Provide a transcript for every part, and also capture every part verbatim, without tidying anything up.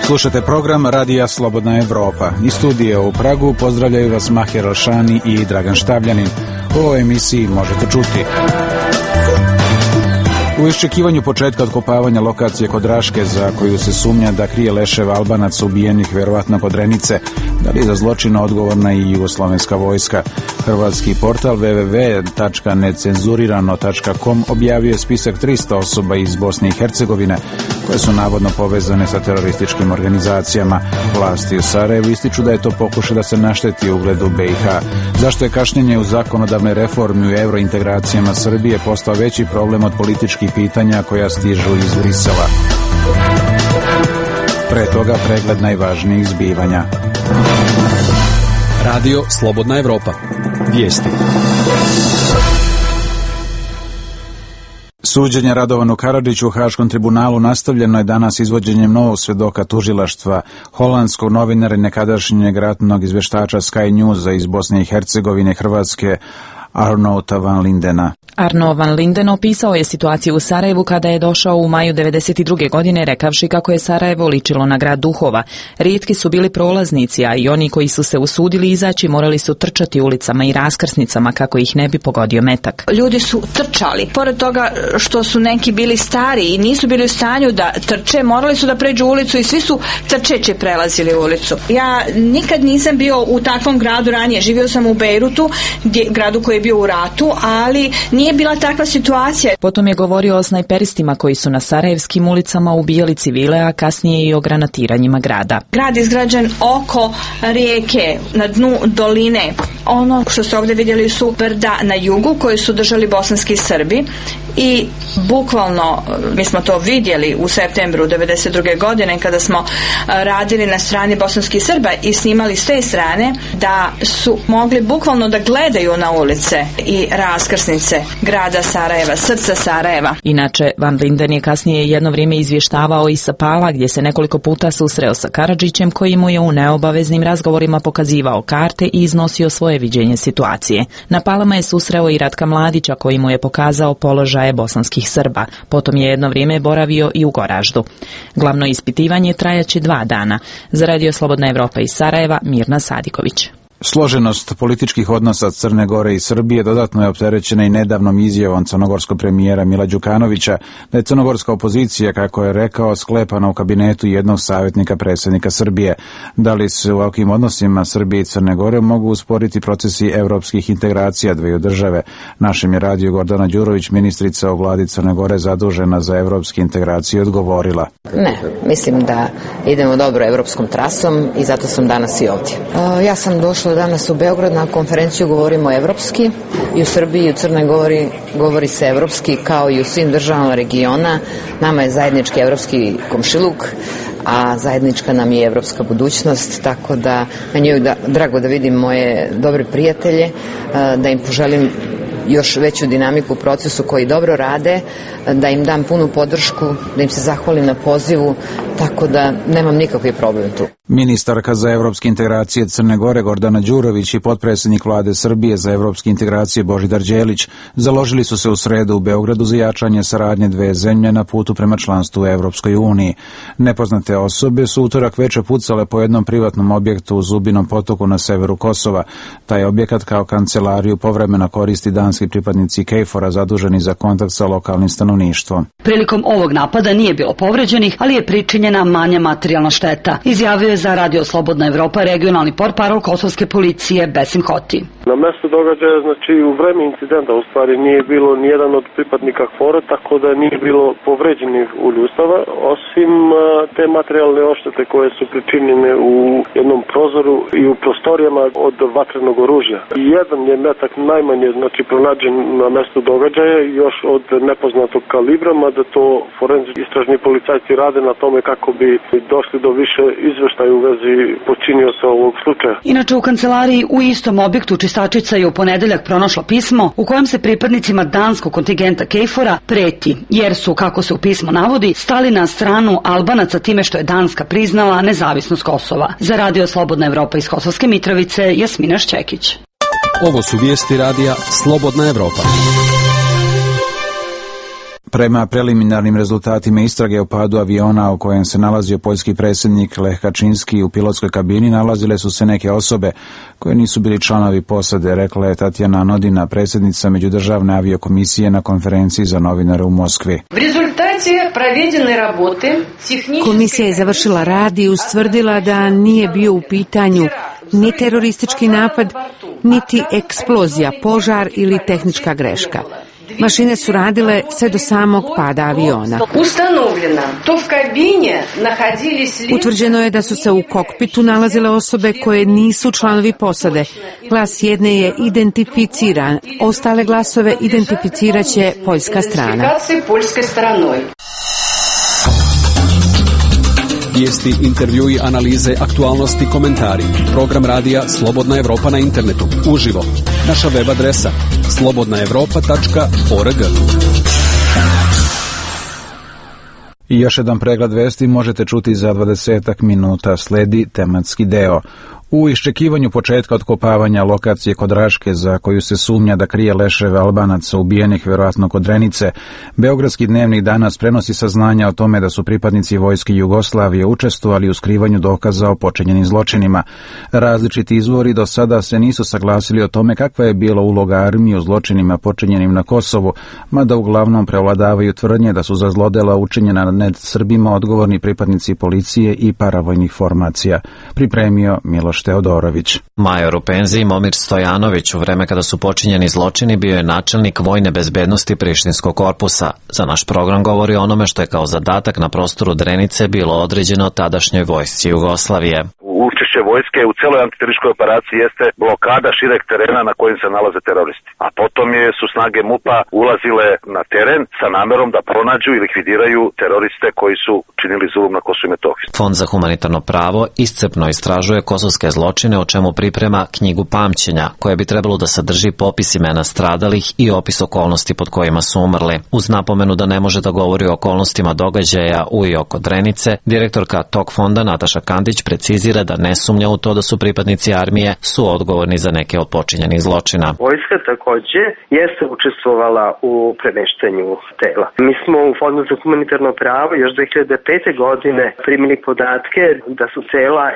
Slušate program Radija Slobodna Evropa. Iz studija u Pragu pozdravljaju vas Mahir Alšani i Dragan Štavljanin. U ovoj emisiji možete čuti: u iščekivanju početka otkopavanja lokacije kod Raške, za koju se sumnja da krije leševe Albanaca ubijenih verovatno kod Renice, da li je za zločin odgovorna i jugoslovenska vojska. Hrvatski portal w w w tačka necenzurirano tačka com objavio je spisak tristo osoba iz Bosne i Hercegovine koje su navodno povezane sa terorističkim organizacijama. Vlasti u Sarajevu ističu da je to pokušaj da se našteti ugledu B i H. Zašto je kašnjenje u zakonodavnoj reformi u eurointegracijama Srbije postao veći problem od političkih pitanja koja stižu iz Brisela? Pre toga pregled najvažnijih zbivanja. Radio Slobodna Evropa. Vijesti. Suđenje Radovanu Karadžiću u Haškom tribunalu nastavljeno je danas izvođenjem novog svedoka tužilaštva, holandskog novinara i nekadašnjeg ratnog izveštača Sky Newsa iz Bosne i Hercegovine, Hrvatske, Arnouta van Lindena. Arno van Linden opisao je situaciju u Sarajevu kada je došao u maju devedeset druge. godine rekavši kako je Sarajevo ličilo na grad duhova. Rijetki su bili prolaznici, a i oni koji su se usudili izaći morali su trčati ulicama i raskrsnicama kako ih ne bi pogodio metak. Ljudi su trčali. Pored toga što su neki bili stari i nisu bili u stanju da trče, morali su da pređu ulicu i svi su trčeće prelazili ulicu. Ja nikad nisam bio u takvom gradu ranije. Živio sam u Bejrutu, gdje, gradu koji je bio u ratu, ali nije bila takva situacija. Potom je govorio o snajperistima koji su na sarajevskim ulicama ubijali civile, a kasnije i o granatiranjima grada. Grad izgrađen oko rijeke, na dnu doline. Ono što ste ovdje vidjeli su brda na jugu koje su držali bosanski Srbi i bukvalno, mi smo to vidjeli u septembru devedeset druge. godine kada smo radili na strani bosanskih Srba i snimali s te strane, da su mogli bukvalno da gledaju na ulice i raskrsnice grada Sarajeva, srca Sarajeva. Inače, Van Linden je kasnije jedno vrijeme izvještavao i sa Pala, gdje se nekoliko puta susreo sa Karadžićem, koji mu je u neobaveznim razgovorima pokazivao karte i iznosio svoje viđenje situacije. Na Palama je susreo i Ratka Mladića, koji mu je pokazao položaje bosanskih Srba. Potom je jedno vrijeme boravio i u Goraždu. Glavno ispitivanje trajaće dva dana. Za Radio Slobodna Evropa iz Sarajeva, Mirna Sadiković. Složenost političkih odnosa Crne Gore i Srbije dodatno je opterećena i nedavnom izjavom crnogorskog premijera Mila Đukanovića da je crnogorska opozicija, kako je rekao, sklepana u kabinetu jednog savjetnika predsjednika Srbije. Da li se u ovakvim odnosima Srbije i Crne Gore mogu usporiti procesi evropskih integracija dveju države? Našem je radio Gordana Đurović, ministrica u vladi Crne Gore zadužena za evropske integracije, odgovorila. Ne, mislim da idemo dobro evropskom trasom i zato sam danas i ovdje. Uh, ja sam došla danas u Beograd na konferenciju, govorimo evropski, i u Srbiji i u Crnoj Gori govori se evropski kao i u svim državama regiona. Nama je zajednički evropski komšiluk, a zajednička nam je evropska budućnost, tako da meni je da, drago da vidim moje dobre prijatelje, da im poželim još veću dinamiku u procesu koji dobro rade, da im dam punu podršku, da im se zahvalim na pozivu, tako da nemam nikakvi problem tu. Ministarka za evropske integracije Crne Gore Gordana Đurović i potpredsjednik vlade Srbije za evropske integracije Božidar Đelić založili su se u sredu u Beogradu za jačanje saradnje dve zemlje na putu prema članstvu u Evropskoj uniji. Nepoznate osobe su utorak veče pucale po jednom privatnom objektu u Zubinom potoku na severu Kosova. Taj objekat kao kancelariju povremeno koristi danski pripadnici KFOR-a zaduženi za kontakt sa lokalnim stanovništvom. Prilikom ovog napada nije bilo povređenih, ali je pričinjena manja materijalna šteta, izjavio je za Radio Slobodna Evropa regionalni portparol kosovske policije Besim Hoti. Na mjestu događaja, znači u vreme incidenta u stvari nije bilo nijedan od pripadnika KFOR-a, tako da nije bilo povređenih u ljudstava, osim te materijalne oštete koje su pričinjene u jednom prozoru i u prostorijama od vatrenog oružja. Jedan je metak najmanje, znači pronađen na mjestu događaja, još od nepoznatog kalibra, mada to forenzički istražni policajci rade na tome kako bi došli do više izveštaja u vezi počinioca ovog slučaja. Inače, u kancelariji u istom objektu čistačica je u ponedeljak pronašla pismo u kojem se pripadnicima danskog kontingenta KFOR-a preti, jer su, kako se u pismu navodi, stali na stranu Albanaca time što je Danska priznala nezavisnost Kosova. Za Radio Slobodna Evropa iz Kosovske Mitrovice, Jasmina Šćekić. Ovo su vijesti radija Slobodna Evropa. Prema preliminarnim rezultatima istrage o padu aviona u kojem se nalazio poljski predsjednik Lech Kaczynski u pilotskoj kabini nalazile su se neke osobe koje nisu bili članovi posade, rekla je Tatjana Nodina, predsjednica Međudržavne aviokomisije na konferenciji za novinare u Moskvi. Komisija je završila rad i ustvrdila da nije bio u pitanju ni teroristički napad, niti eksplozija, požar ili tehnička greška. Mašine su radile sve do samog pada aviona. Utvrđeno je da su se u kokpitu nalazile osobe koje nisu članovi posade. Glas jedne je identificiran, ostale glasove identificirat će poljska strana. Vijesti, intervjui, analize, aktualnosti, komentari. Program radija Slobodna Evropa na internetu. Uživo. Naša web adresa slobodna evropa tačka org. I još jedan pregled vesti možete čuti za dvadesetak minuta. Sledi tematski deo. U iščekivanju početka otkopavanja lokacije kod Raške, za koju se sumnja da krije leševe Albanaca ubijenih vjerojatno kod Drenice, Beogradski dnevnik danas prenosi saznanja o tome da su pripadnici vojske Jugoslavije učestvovali u skrivanju dokaza o počinjenim zločinima. Različiti izvori do sada se nisu saglasili o tome kakva je bila uloga armije u zločinima počinjenim na Kosovu, mada uglavnom prevladavaju tvrdnje da su za zlodela učinjena nad Srbima odgovorni pripadnici policije i paravojnih formacija. Pripremio Miloš Teodorović. Major u penziji Momir Stojanović u vreme kada su počinjeni zločini bio je načelnik vojne bezbednosti Prištinskog korpusa. Za naš program govori o onome što je kao zadatak na prostoru Drenice bilo određeno tadašnjoj vojsci Jugoslavije. Učešće vojske u celoj antiterorističkoj operaciji jeste blokada šireg terena na kojem se nalaze teroristi. A potom je, su snage MUP-a ulazile na teren sa namerom da pronađu i likvidiraju teroriste koji su činili zulum na Kosovu i Metohiji. Fond za humanitarno pravo iscrpno istražuje kosovske zločine, o čemu priprema knjigu pamćenja, koja bi trebalo da sadrži popis imena stradalih i opis okolnosti pod kojima su umrli. Uz napomenu da ne može da govori o okolnostima događaja u i oko Drenice, direktorka tog fonda Nataša Kandić precizira da ne sumnja u to da su pripadnici armije su odgovorni za neke od počinjenih zločina. Vojska takođe jeste učestvovala u premeštanju tela. Mi smo u Fondu za humanitarno pravo još dve hiljade pete. godine primili podatke da su tela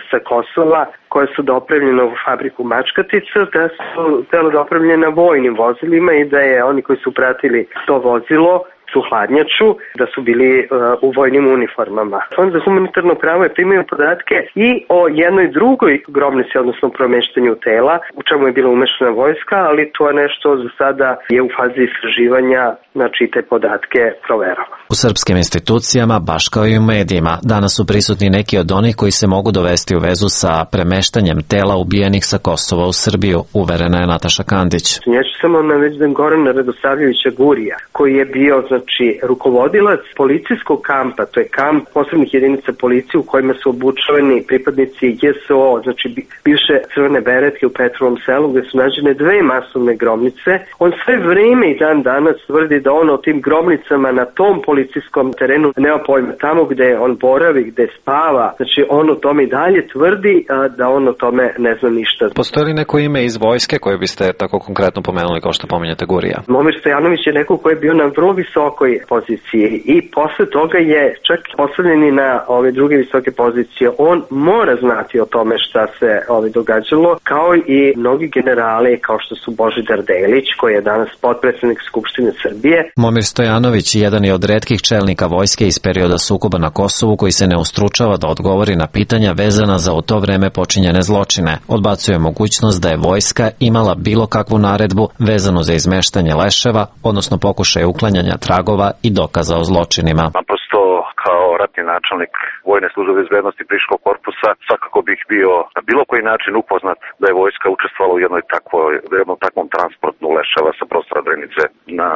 sa Kosova koje su dopravljene u fabriku Mačkatica, da su tela dopravljena vojnim vozilima i da je oni koji su pratili to vozilo su hladnjaču, da su bili uh, u vojnim uniformama. Fond za humanitarno pravo je primio podatke i o jednoj drugoj grobnici, odnosno promeštanju tela, u čemu je bila umešana vojska, ali to je nešto za sada je u fazi istraživanja, znači te podatke proverava. U srpskim institucijama, baš kao i u medijima, danas su prisutni neki od onih koji se mogu dovesti u vezu sa premeštanjem tela ubijenih sa Kosova u Srbiju, uverena je Nataša Kandić. Ja ću samo navesti Gorana Radosavljevića Gurija, koji je bio znači rukovodilac policijskog kampa, to je kamp posebnih jedinica policije u kojima su obučavani pripadnici J S O, znači bivše crvene beretke u Petrovom selu, gde su nađene dve masovne grobnice. On sve vreme i dan danas tvrdi da on o tim grobnicama na tom policijskom terenu nema pojma. Tamo gde on boravi, gde spava, znači on o tome i dalje tvrdi a, da on o tome ne zna ništa. Postoji li neko ime iz vojske koje biste tako konkretno pomenuli kao što pominjate Gurija? Momir Stojanović je neko koji je bio na vrlo visokoj poziciji i posle toga je čak postavljen i na ove druge visoke pozicije. On mora znati o tome šta se ove događalo, kao i mnogi generali kao što su Božidar Delić, koji je danas potpredsednik Skupštine Srbije. Momir Stojanović jedan je od retkih čelnika vojske iz perioda sukoba na Kosovu koji se ne ustručava da odgovori na pitanja vezana za u to vreme počinjene zločine. Odbacuje mogućnost da je vojska imala bilo kakvu naredbu vezanu za izmeštanje leševa, odnosno pokušaj uklanjanja tragova i dokaza o zločinima. Naprosto kao ratni načelnik vojne službe bezbednosti Prištinskog korpusa svakako bih bio na bilo koji način upoznat da je vojska učestvovala u jednoj takvoj, jednom takvom transportu leševa sa prostora Drenice na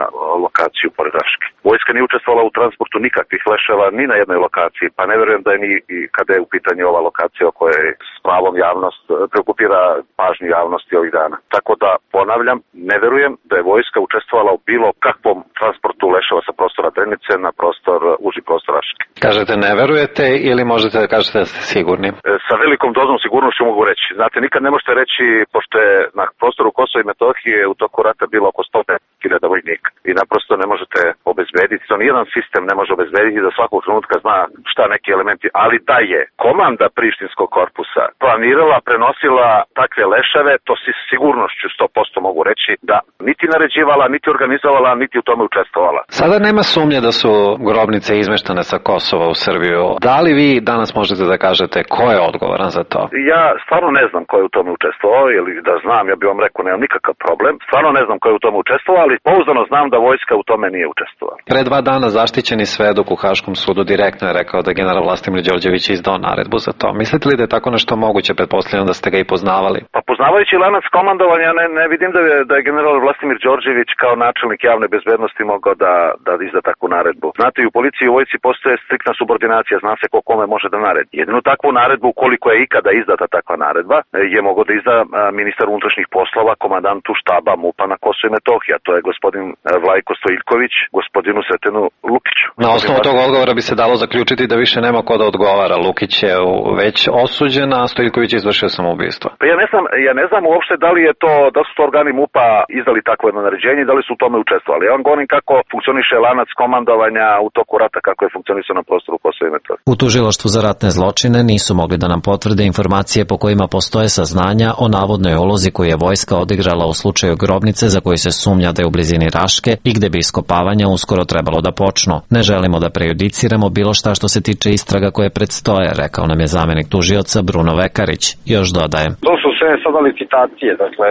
lokaciju pored Raške. Vojska nije učestvovala u transportu nikakvih leševa ni na jednoj lokaciji, pa ne verujem da je ni i kada je u pitanju ova lokacija o kojoj s pravom javnost preokupira pažnju javnosti ovih dana. Tako da ponavljam, ne verujem da je vojska učestvovala u bilo kakvom transportu leševa sa prostora Drenice na prostor, uži prostor Raške. Kažete ne verujete ili možete da kažete da ste sigurni? E, sa velikom dozom sigurnošću mogu reći. Znate, nikad ne možete reći, pošto je na prostoru Kosova i Metohije u toku rata bilo oko sto hiljada vojnika i naprosto ne možete obezbediti obezbediti, to nijedan sistem ne može obezbediti da svakog trenutka zna šta neki elementi, ali da je komanda prištinskog korpusa planirala, prenosila takve leševe, to si sigurnošću sto posto mogu reći da niti naređivala, niti organizovala, niti u tome učestvovala. Sada nema sumnje da su grobnice izmeštane sa Kosova u Srbiju. Da li vi danas možete da kažete ko je odgovoran za to? Ja stvarno ne znam ko je u tome učestvovao, ili da znam, ja bih vam rekao, nemam nikakav problem. Stvarno ne znam ko je u tome učestvovao, ali pouzdano znam da vojska u tome nije učestvovala. Pre dva dana zaštićeni svedok u Haškom sudu direktno je rekao da general Vlastimir Đorđević izdao naredbu za to. Mislite li da je tako nešto moguće? Pretpostavljam da ste ga i poznavali. Pa poznavajući lanac komandovanja, ne, ne vidim da je, da je general Vlastimir Đorđević kao načelnik javne bezbednosti mogao da, da izda takvu naredbu. Znate, i u policiji i u vojsci postoje striktna subordinacija, zna se ko kome može da naredi. Jedinu takvu naredbu, koliko je ikada izdata takva naredba, je mogao da izda ministar unutrašnjih poslova, komandantu štaba MUP-a na Kosovo i Metohija. To je gospodin Vlajko Stojiljković, gospodinu Sretenu Lukiću. Na osnovu tog odgovora bi se dalo zaključiti da više nema ko da odgovara. Lukić je već osuđen, a Stojiljković je izvršio samoubistvo. Pa ja ne znam, ja ne znam uopšte da li je to, da su to organi MUP-a izdali takvo jedno naređenje i da li su u tome učestvovali. Ja vam govorim kako funkcioniše lanac komandovanja u toku rata, kako je funkcionisao na prostoru Kosova i Metohije. U tužilaštvu za ratne zločine nisu mogli da nam potvrde informacije po kojima postoje saznanja o navodnoj ulozi koju je vojska odigrala u slučaju grobnice za koju se sumnja da je u blizini Raške i gde bi iskopavanja uskoro trebalo da počnu. Ne želimo da prejudiciramo bilo šta što se tiče istraga koje predstoje, rekao nam je zamenik tužioca Bruno Vekarić. Još dodaje. To su sve sada licitacije, dakle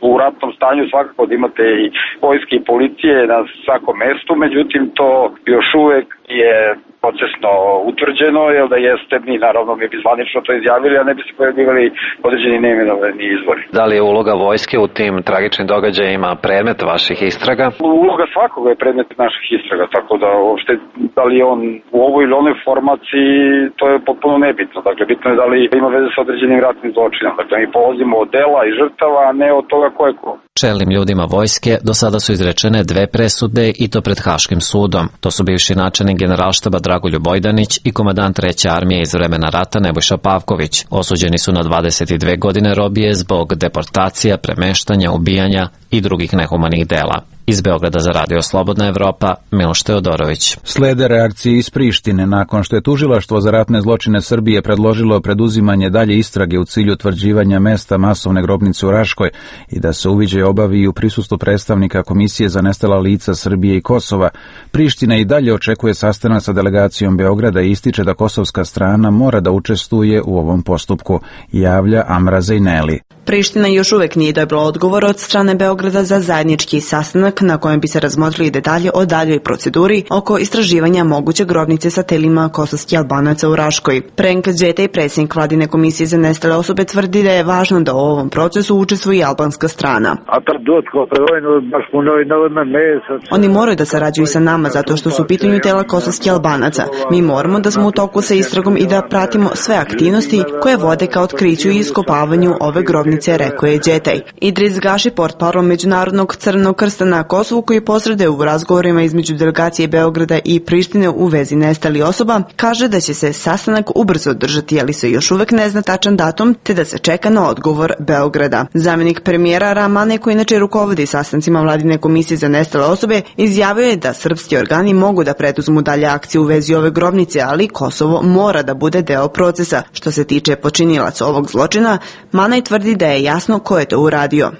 u ratnom stanju svakako da imate i vojske i policije na svakom mestu, međutim to još uvek je procesno utvrđeno, jer da jeste, mi naravno mi bi zvanično to izjavili, a ne bi se pojavljivali određeni neimenovani izvori. Da li je uloga vojske u tim tragičnim događajima predmet vaših istraga? Uloga svakoga je predmet naših istraga, tako da uopšte da li je on u ovoj ili onoj formaciji, to je potpuno nebitno. Dakle, bitno je da li ima veze sa određenim ratnim zločinom. Dakle, mi polazimo od dela i žrtava, a ne od toga ko je ko. Čelnim ljudima vojske do sada su izrečene dve presude i to pred Haškim sudom. To su bivši načelnik generalštaba Dragoljub Bojdanić i komandant treće armije iz vremena rata Nebojša Pavković. Osuđeni su na dvadeset dve godine robije zbog deportacija, premeštanja, ubijanja i drugih nehumanih dela. Iz Beograda za Radio Slobodna Evropa, Miloš Teodorović. Slede reakcije iz Prištine nakon što je tužilaštvo za ratne zločine Srbije predložilo preduzimanje dalje istrage u cilju utvrđivanja mesta masovne grobnice u Raškoj i da se uviđaj obavi i u prisustvu predstavnika Komisije za nestala lica Srbije i Kosova. Priština i dalje očekuje sastanak sa delegacijom Beograda i ističe da kosovska strana mora da učestvuje u ovom postupku, javlja Amra Zejneli. Priština još uvek nije dobila odgovor od strane Beograda za zajednički sastanak na kojem bi se razmotrili detalje o daljoj proceduri oko istraživanja moguće grobnice sa telima kosovskih Albanaca u Raškoj. Prenk Đetej, predsjednik Vladine komisije za nestale osobe, tvrdi da je važno da u ovom procesu učestvuje i albanska strana. Oni moraju da sarađuju sa nama zato što su u pitanju tela kosovskih Albanaca. Mi moramo da smo u toku sa istragom i da pratimo sve aktivnosti koje vode ka otkriću i iskopavanju ove grobnice, rekao je Đetej. Idris Gaši, portparol Međunarodnog Crvenog krsta na Kosovu, koji posreduje u razgovorima između delegacije Beograda i Prištine u vezi nestalih osoba, kaže da će se sastanak ubrzo održati, ali se još uvek ne zna tačan datum, te da se čeka na odgovor Beograda. Zamjenik premijera Ramane, koji inače rukovodi sastancima Vladine komisije za nestale osobe, izjavio je da srpski organi mogu da preduzmu dalje akcije u vezi ove grobnice, ali Kosovo mora da bude deo procesa. Što se tiče počinilaca ovog zločina, Manaj tvrdi da je jasno ko je to uradio.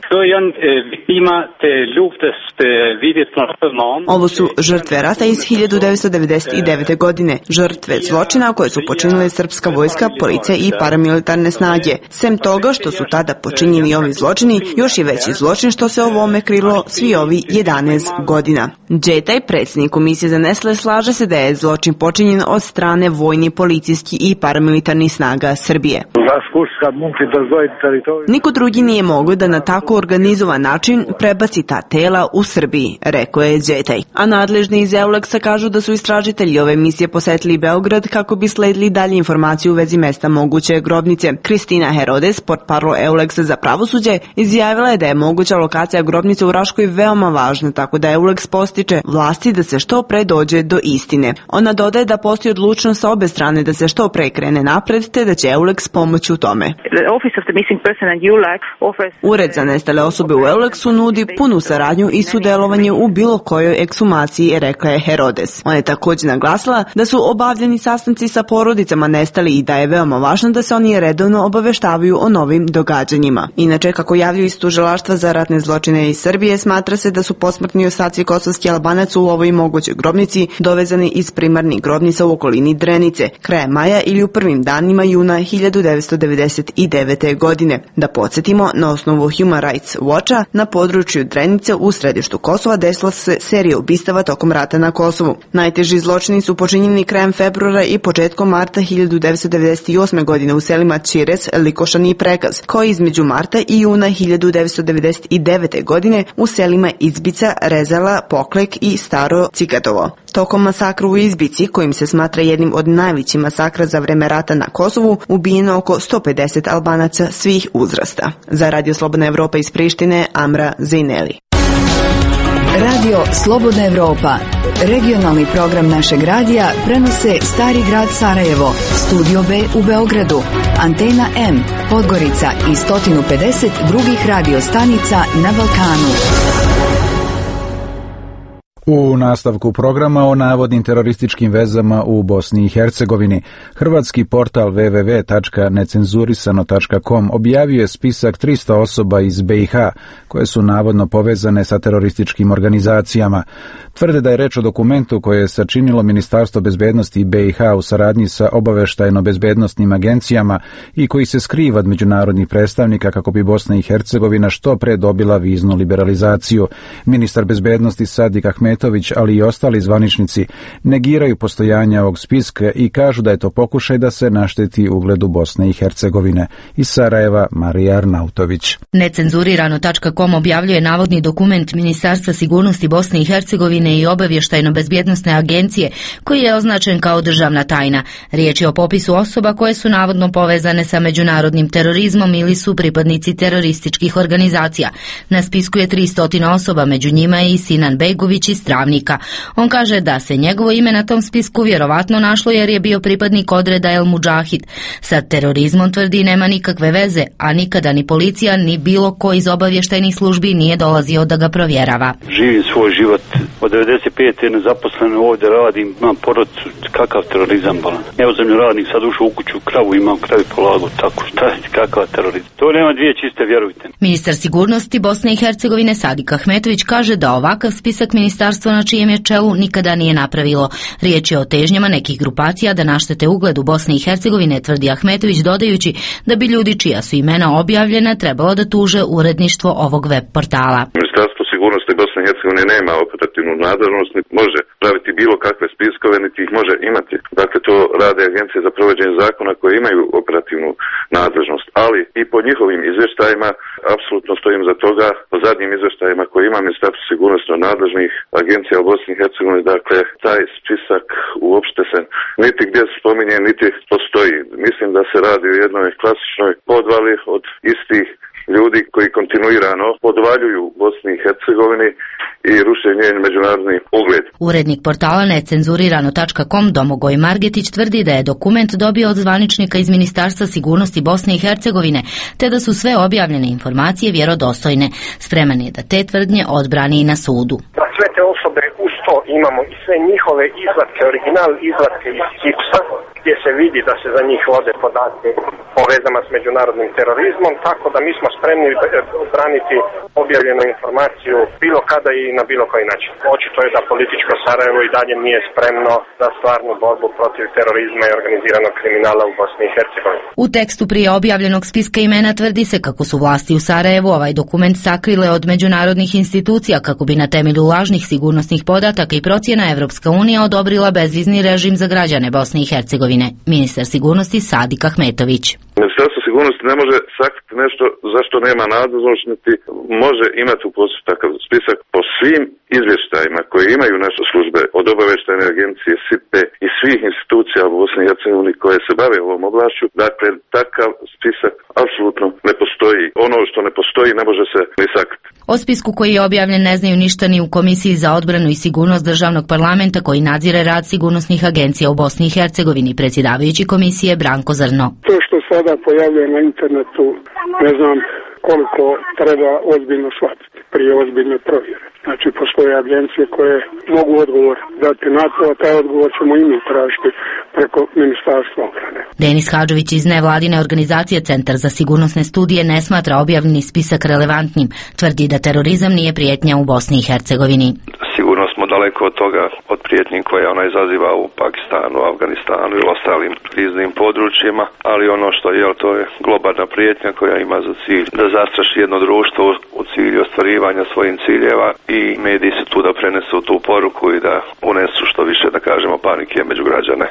Ovo su žrtve rata iz hiljadu devetsto devedeset devete. godine, žrtve zločina koje su počinile srpska vojska, policija i paramilitarne snage. Sem toga što su tada počinjeni ovi zločini, još je veći zločin što se ovome krilo svi ovi jedanaest godina. Đetej, predsjednik Komisije za nestale, slaže se da je zločin počinjen od strane vojni, policijski i paramilitarnih snaga Srbije. Niko drugi nije mogao da na tako organizovan način prebaci ta tela u Srbiji, rekao je Đetej. A nadležni iz Euleksa kažu da su istražitelji ove misije posetili Beograd kako bi sledili dalje informacije u vezi mesta moguće grobnice. Kristina Herodes, portparol Euleksa za pravosuđe, izjavila je da je moguća lokacija grobnice u Raškoj veoma važna, tako da Euleks postiče vlasti da se što pre dođe do istine. Ona dodaje da postoji odlučnost sa obe strane da se što pre krene napred, te da će Euleks pomoći u tome. The Office of the Missing Person and Ured za nestale osobe u Euleksu nudi punu saradnju i sudjelovanje u bilo kojoj ekshumaciji, rekla je Herodes. Ona je također naglasila da su obavljeni sastanci sa porodicama nestali i da je veoma važno da se oni redovno obaveštavaju o novim događanjima. Inače, kako javljaju iz tužilaštva za ratne zločine iz Srbije, smatra se da su posmrtni ostaci kosovskih Albanaca u ovoj mogućoj grobnici dovezani iz primarnih grobnica u okolini Drenice, kraja maja ili u prvim danima juna hiljadu devetsto devedeset devete. godine. Da podsjetimo, na osnovu Human Rights Watcha, na području Drenice u središtu Kosova desila se serija ubistava tokom rata na Kosovu. Najteži zločini su počinjeni krajem februara i početkom marta hiljadu devetsto devedeset osme. godine u selima Čires, Likošan i Prekaz, kao i između marta i juna hiljadu devetsto devedeset devete. godine u selima Izbica, Rezala, Poklek i Staro Cikatovo. Tokom masakra u Izbici, kojim se smatra jednim od najvećih masakra za vreme rata na Kosovu, ubijeno oko sto pedeset Albanaca svih uzrasta. Za Radio Slobodna Evropa iz Prištine, Amra Zejneli. Radio Slobodna Evropa. Regionalni program našeg radija prenose Stari grad Sarajevo, Studio B u Beogradu, Antena M, Podgorica i sto pedeset drugih radio stanica na Balkanu. U nastavku programa o navodnim terorističkim vezama u Bosni i Hercegovini, hrvatski portal w w w tačka necenzurisano tačka com objavio je spisak tristo osoba iz B i H koje su navodno povezane sa terorističkim organizacijama. Tvrde da je reč o dokumentu koje je sačinilo Ministarstvo bezbednosti B i H u saradnji sa obaveštajno-bezbednostnim agencijama i koji se skriva od međunarodnih predstavnika kako bi Bosna i Hercegovina što pre dobila viznu liberalizaciju. Ministar bezbednosti Sadik Ahmetović, ali i ostali zvaničnici, negiraju postojanje ovog spiska i kažu da je to pokušaj da se našteti ugledu Bosne i Hercegovine. Iz Sarajeva, Marija Arnautović. Necenzurirano tačka com objavljuje navodni dokument Ministarstva sigurnosti Bosne i Hercegovine i obavještajno-bezbjednosne agencije koji je označen kao državna tajna. Riječ je o popisu osoba koje su navodno povezane sa međunarodnim terorizmom ili su pripadnici terorističkih organizacija. Na spisku je tristo osoba, među njima je i Sinan Begović iz Travnika. On kaže da se njegovo ime na tom spisku vjerovatno našlo jer je bio pripadnik odreda El Mudžahid. Sa terorizmom, tvrdi, nema nikakve veze, a nikada ni policija ni bilo ko iz obavještajnih službi nije dolazio da ga provjerava. Živim svoj život od devedeset pete nezaposleno, ovdje radim, imam porodicu, kakav terorizam bolan. Evo zemljoradnik, sad ušao u kuću, kravu imam, kravi polagu, tako šta je, kakav terorizam. To nema dvije čiste, vjerujte. Ministar sigurnosti Bosne i Hercegovine Sadik Ahmetović kaže da ovakav spisak ministarstva na čijem je čelu nikada nije napravilo. Riječ je o težnjama nekih grupacija da naštete ugledu Bosne i Hercegovine, tvrdi Ahmetović, dodajući da bi ljudi čija su imena objavljena trebalo da tuže uredništvo ovog web portala. Ministarstvo sigurnosti Bosne i Hercegovine nema operativnu nadležnost, može praviti bilo kakve spiskove, niti ih može imati. Dakle, to rade agencije za provođenje zakona koje imaju operativnu nadležnost, ali i po njihovim izvještajima apsolutno stojim za toga, po zadnjim izvještajima koje ima Ministarstvo sigurnosti nadležnih agencija u Bosni i Hercegovini, dakle, taj spisak uopšte se niti gdje se spominje, niti postoji. Mislim da se radi o jednoj klasičnoj podvali od istih ljudi koji kontinuirano podvaljuju Bosni i Hercegovini i ruše njen međunarodni ugled. Urednik portala necenzurirano tačka com Domagoj Margetić tvrdi da je dokument dobio od zvaničnika iz Ministarstva sigurnosti Bosne i Hercegovine, te da su sve objavljene informacije vjerodostojne. Spreman je da te tvrdnje odbrani i na sudu. Na sve te osobe uz to imamo i sve njihove izvatke, original izvatke iz Hipsa, gdje se vidi da se za njih vode podatke o vezama s međunarodnim terorizmom, tako da mi smo spremni braniti objavljenu informaciju bilo kada i na bilo koji način. Očito je da političko Sarajevo i dalje nije spremno za stvarnu borbu protiv terorizma i organiziranog kriminala u Bosni i Hercegovini. U tekstu prije objavljenog spiska imena tvrdi se kako su vlasti u Sarajevu ovaj dokument sakrile od međunarodnih institucija kako bi na temelju lažnih sigurnosnih podataka i procjena Evropska unija odobrila bezvizni režim za građane Bosne i Hercegovine. Ministar sigurnosti Sadik Ahmetović. Ministarstvo sigurnosti ne može sakriti nešto zašto nema nadležnost, niti može imati u posjedu takav spisak po svim izvještajima koje imaju naše službe od obavještajne agencije S I P E i svih institucija u Bosni i Hercegovini koje se bave ovom oblašću. Dakle, takav spisak apsolutno ne postoji. Ono što ne postoji ne može se ni sakriti. O spisku koji je objavljen ne znaju ništa ni u Komisiji za odbranu i sigurnost državnog parlamenta koji nadzire rad sigurnosnih agencija u Bosni i Hercegovini, predsjedavajući komisije Branko Zrno. To što sada pojavljuje na internetu, ne znam koliko treba ozbiljno shvatiti prije ozbiljne provjere. Znači, postoje agencije koje mogu odgovor dati na to, a taj odgovor ćemo i mi tražiti preko Ministarstva obrane. Denis Hadžović iz nevladine organizacije Centar za sigurnosne studije ne smatra objavljeni spisak relevantnim. Tvrdi da terorizam nije prijetnja u Bosni i Hercegovini. Sigurno smo daleko od toga, od prijetnji koje ona izaziva u Pakistanu, Afganistanu i ostalim kriznim područjima, ali ono što je, to je globalna prijetnja koja ima za cilj da zastraši jedno društvo u cilju ostvarivanja svojih ciljeva i mediji su tu da prenesu tu poruku i da unesu što više, da kažemo, panike među građane.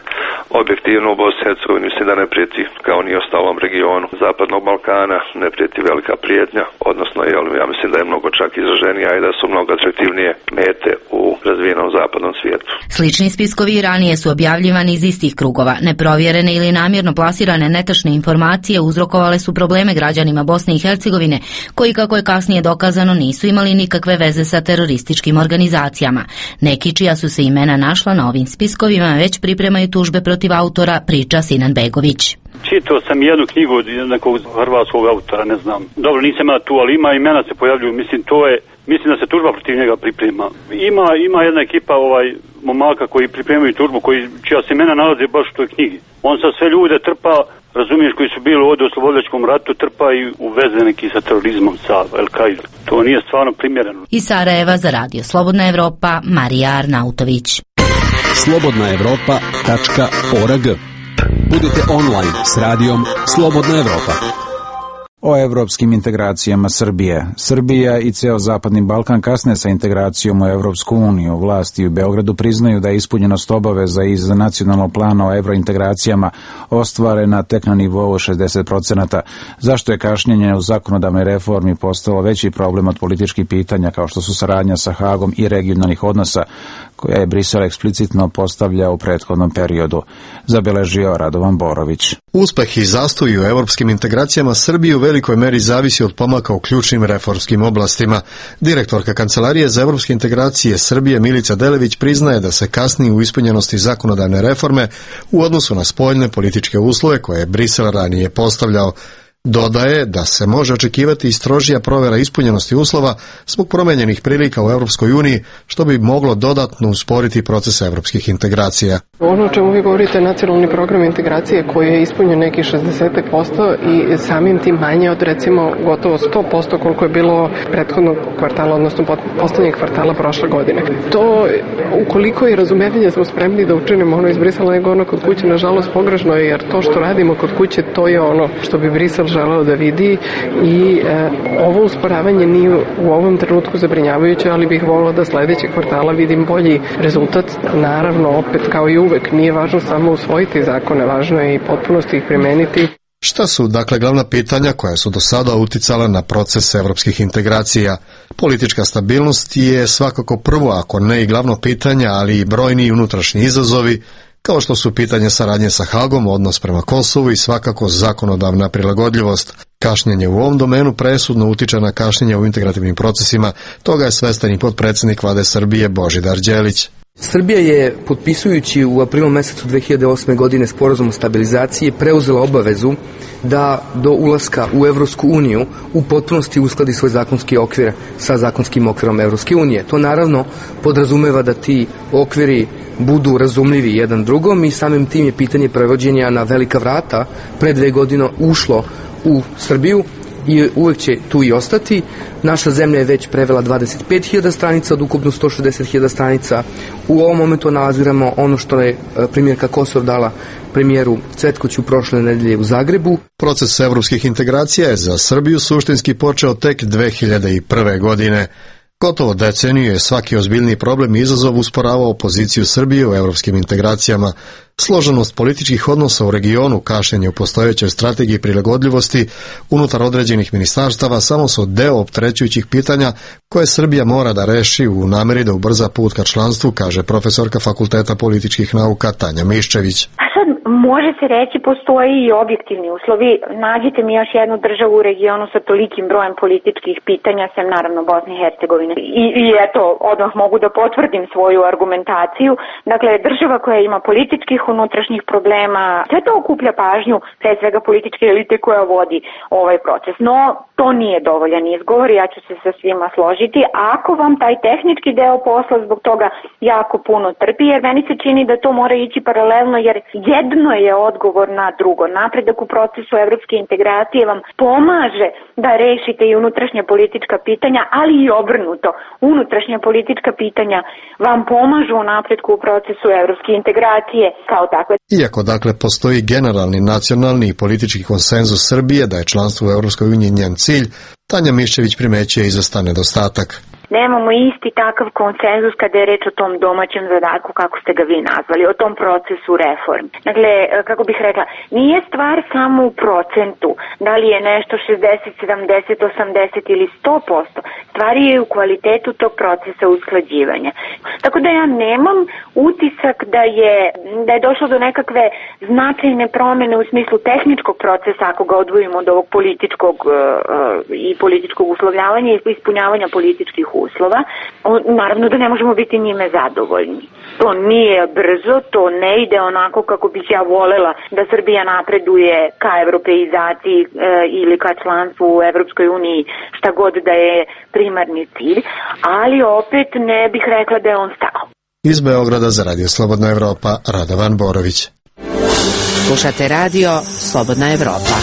Objektivno u Bosni i Hercegovini mislim da ne prijeti, kao ni ostalom regionu Zapadnog Balkana, ne prijeti velika prijetnja, odnosno ja mislim da je mnogo čak izraženija i da su mnogo atraktivnije mete u razvijenom zapadnom svijetu. Slični spiskovi ranije su objavljivani iz istih krugova. Neprovjerene ili namjerno plasirane netačne informacije uzrokovale su probleme građanima Bosne i Hercegovine, koji, kako je kasnije dokazano, nisu imali nikakve veze sa terorističkim organizacijama. Neki čija su se imena našla na ovim spiskovima već pripremaju tužbe protiv autora, priča Sinan Begović. Čitao sam jednu knjigu od nekog hrvatskog autora, ne znam. Dobro, nisam ja tu, ali ima imena se pojavljuju. Mislim, to je, mislim da se tužba protiv njega priprema. Ima, ima jedna ekipa ovaj momaka koji pripremaju tužbu, koji, čija se imena nalaze baš u toj knjigi. On sa sve ljude trpa, razumiješ, koji su bili ovdje u oslobodilačkom ratu, trpa i u veze neki sa terorizmom, sa El-Kaidom. To nije stvarno primjereno. Iz Sarajeva za Radio Slobodna Evropa, Marija Arnautović. slobodna evropa tačka org. Budite online s radijom Slobodna Evropa. O evropskim integracijama Srbije. Srbija i ceo Zapadni Balkan kasne sa integracijom u Evropsku uniju. Vlasti u Beogradu priznaju da je ispunjenost obaveza iz nacionalnog plana o evrointegracijama ostvarena tek na nivou šezdeset procenata. Zašto je kašnjenje u zakonodavnoj reformi postalo veći problem od političkih pitanja kao što su saradnja sa Hagom i regionalnih odnosa koja je Brisel eksplicitno postavljao u prethodnom periodu, zabeležio Radovan Borović. Uspeh i zastoj u evropskim integracijama Srbije u velikoj meri zavisi od pomaka u ključnim reformskim oblastima. Direktorka Kancelarije za evropske integracije Srbije Milica Delević priznaje da se kasni u ispunjenosti zakonodavne reforme u odnosu na spoljne političke uslove koje je Brisel ranije postavljao. Dodaje da se može očekivati i strožija provjera ispunjenosti uslova zbog promenjenih prilika u Europskoj uniji, što bi moglo dodatno usporiti proces evropskih integracija. Ono o čemu vi govorite, nacionalni program integracije koji je ispunjen neki šezdeset posto i samim tim manje od recimo gotovo sto posto koliko je bilo prethodnog kvartala, odnosno poslednjeg kvartala prošle godine. To, ukoliko je razumevanje smo spremni da učinimo ono iz Brisela nego ono kod kuće, nažalost pogrešno je, jer to što radimo kod kuće, to je ono što bi Brisel želeo da vidi i e, ovo usporavanje nije u ovom trenutku zabrinjavajuće, ali bih volila da sledećeg kvartala vidim bolji rezultat. Naravno, opet kao i uvek, nije važno samo usvojiti zakone, važno je i potpunosti ih primeniti. Šta su, dakle, glavna pitanja koja su do sada uticala na proces evropskih integracija? Politička stabilnost je svakako prvo, ako ne i glavno pitanje, ali i brojni unutrašnji izazovi, kao što su pitanje saradnje sa Hagom, odnos prema Kosovu i svakako zakonodavna prilagodljivost. Kašnjenje u ovom domenu presudno utiče na kašnjenje u integrativnim procesima, toga je svestan i potpredsjednik Vlade Srbije Božidar Đelić. Srbija je, potpisujući u aprilu mesecu dve hiljade osme godine sporazum o stabilizaciji, preuzela obavezu da do ulaska u Evropsku uniju u potpunosti uskladi svoj zakonski okvir sa zakonskim okvirom Evropske unije. To naravno podrazumeva da ti okviri budu razumljivi jedan drugom i samim tim je pitanje prevođenja na velika vrata pre dve godine ušlo u Srbiju i uvek će tu i ostati. Naša zemlja je već prevela dvadeset pet hiljada stranica od ukupno sto šezdeset hiljada stranica. U ovom momentu analiziramo ono što je premijerka Kosor dala premijeru Cvetkoću prošle nedelje u Zagrebu. Proces evropskih integracija je za Srbiju suštinski počeo tek dve hiljade prve. godine. Gotovo deceniju je svaki ozbiljniji problem i izazov usporavao poziciju Srbije u evropskim integracijama. Složenost političkih odnosa u regionu, kašnjenje u postojećoj strategiji prilagodljivosti unutar određenih ministarstava samo su deo opterećujućih pitanja koje Srbija mora da reši u nameri da ubrza put ka članstvu, kaže profesorka Fakulteta političkih nauka Tanja Miščević. Može se reći, postoji i objektivni uslovi. Nađite mi još jednu državu u regionu sa tolikim brojem političkih pitanja, sem naravno Bosne i Hercegovine. I, i eto, odmah mogu da potvrdim svoju argumentaciju. Dakle, država koja ima političkih unutrašnjih problema. Sve to okuplja pažnju, pre svega političke elite koja vodi ovaj proces. No, to nije dovoljan izgovor, ja ću se sa svima složiti. Ako vam taj tehnički deo posla zbog toga jako puno trpi, jer meni se čini da to mora ići paralelno, jer jedno je odgovor na drugo. Napredak u procesu evropske integracije vam pomaže da rešite i unutrašnja politička pitanja, ali i obrnuto. Unutrašnja politička pitanja vam pomažu u napretku u procesu evropske integracije kao takve. Iako dakle postoji generalni, nacionalni i politički konsenzus Srbije da je članstvo u Evropskoj uniji njen cilj, Tanja Miščević primećuje izvestan nedostatak. Nemamo isti takav konsenzus kada je reč o tom domaćem zadatku, kako ste ga vi nazvali, o tom procesu reform. Dakle, kako bih rekla, nije stvar samo u procentu, da li je nešto šezdeset, sedamdeset, osamdeset ili sto posto. Stvar je u kvalitetu tog procesa usklađivanja. Tako da ja nemam utisak da je, da je došlo do nekakve značajne promene u smislu tehničkog procesa, ako ga odvojimo od ovog političkog uh, i političkog uslovljavanja i ispunjavanja političkih uslova. Naravno da ne možemo biti njime zadovoljni. To nije brzo, to ne ide onako kako bih ja volela da Srbija napreduje ka evropeizaciji e, ili ka članstvu u Evropskoj uniji, šta god da je primarni cilj, ali opet ne bih rekla da je on stao. Iz Beograda za Radio Slobodna Evropa, Radovan Borović. Slušate radio Slobodna Evropa.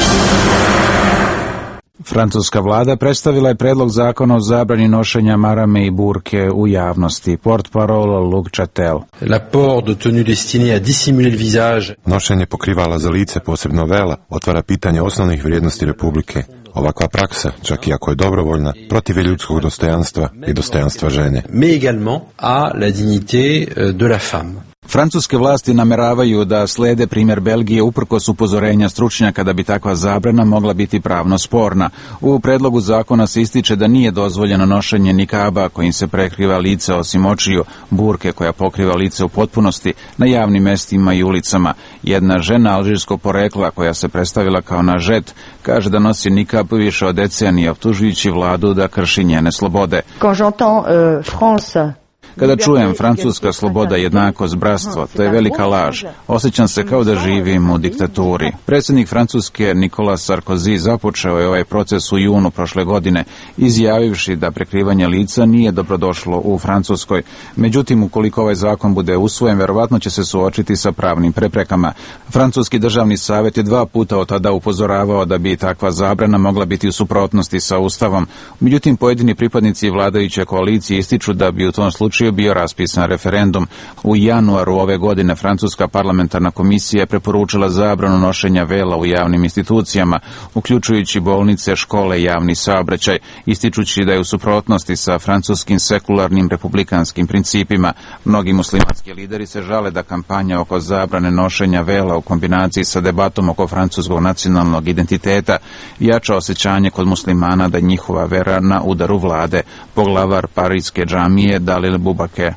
Francuska vlada predstavila je predlog zakona o zabrani nošenja marame i burke u javnosti. Portparol Luc Chatel. La port de tenue destinée à dissimuler le visage. Nošenje pokrivala za lice, posebno vela, otvara pitanje osnovnih vrijednosti Republike. Ovakva praksa, čak i ako je dobrovoljna, protiv je ljudskog dostojanstva i dostojanstva žene. Mais également à la dignité de la femme. Francuske vlasti nameravaju da slede primjer Belgije uprkos upozorenja stručnjaka da bi takva zabrana mogla biti pravno sporna. U predlogu zakona se ističe da nije dozvoljeno nošenje nikaba kojim se prekriva lice osim očiju, burke koja pokriva lice u potpunosti na javnim mestima i ulicama. Jedna žena alžirskog porekla koja se predstavila kao nažet kaže da nosi nikab više od decenije, optužujući vladu da krši njene slobode. Quand j'entends euh, France Kada čujem francuska sloboda, jednakost, bratstvo, to je velika laž. Osjećam se kao da živim u diktaturi. Predsjednik Francuske Nicolas Sarkozy započeo je ovaj proces u junu prošle godine, izjavivši da prekrivanje lica nije dobrodošlo u Francuskoj. Međutim, ukoliko ovaj zakon bude usvojen, verovatno će se suočiti sa pravnim preprekama. Francuski državni savjet je dva puta od tada upozoravao da bi takva zabrana mogla biti u suprotnosti sa Ustavom. Međutim, pojedini pripadnici vladajuće koalicije ističu da bi u tom slučaju bio raspisan referendum. U januaru ove godine Francuska parlamentarna komisija je preporučila zabranu nošenja vela u javnim institucijama, uključujući bolnice, škole i javni saobraćaj, ističući da je u suprotnosti sa francuskim sekularnim republikanskim principima. Mnogi muslimanski lideri se žale da kampanja oko zabrane nošenja vela u kombinaciji sa debatom oko francuskog nacionalnog identiteta jača osjećanje kod muslimana da njihova vera na udaru vlade. Poglavar Parijske džamije Dalil Bubake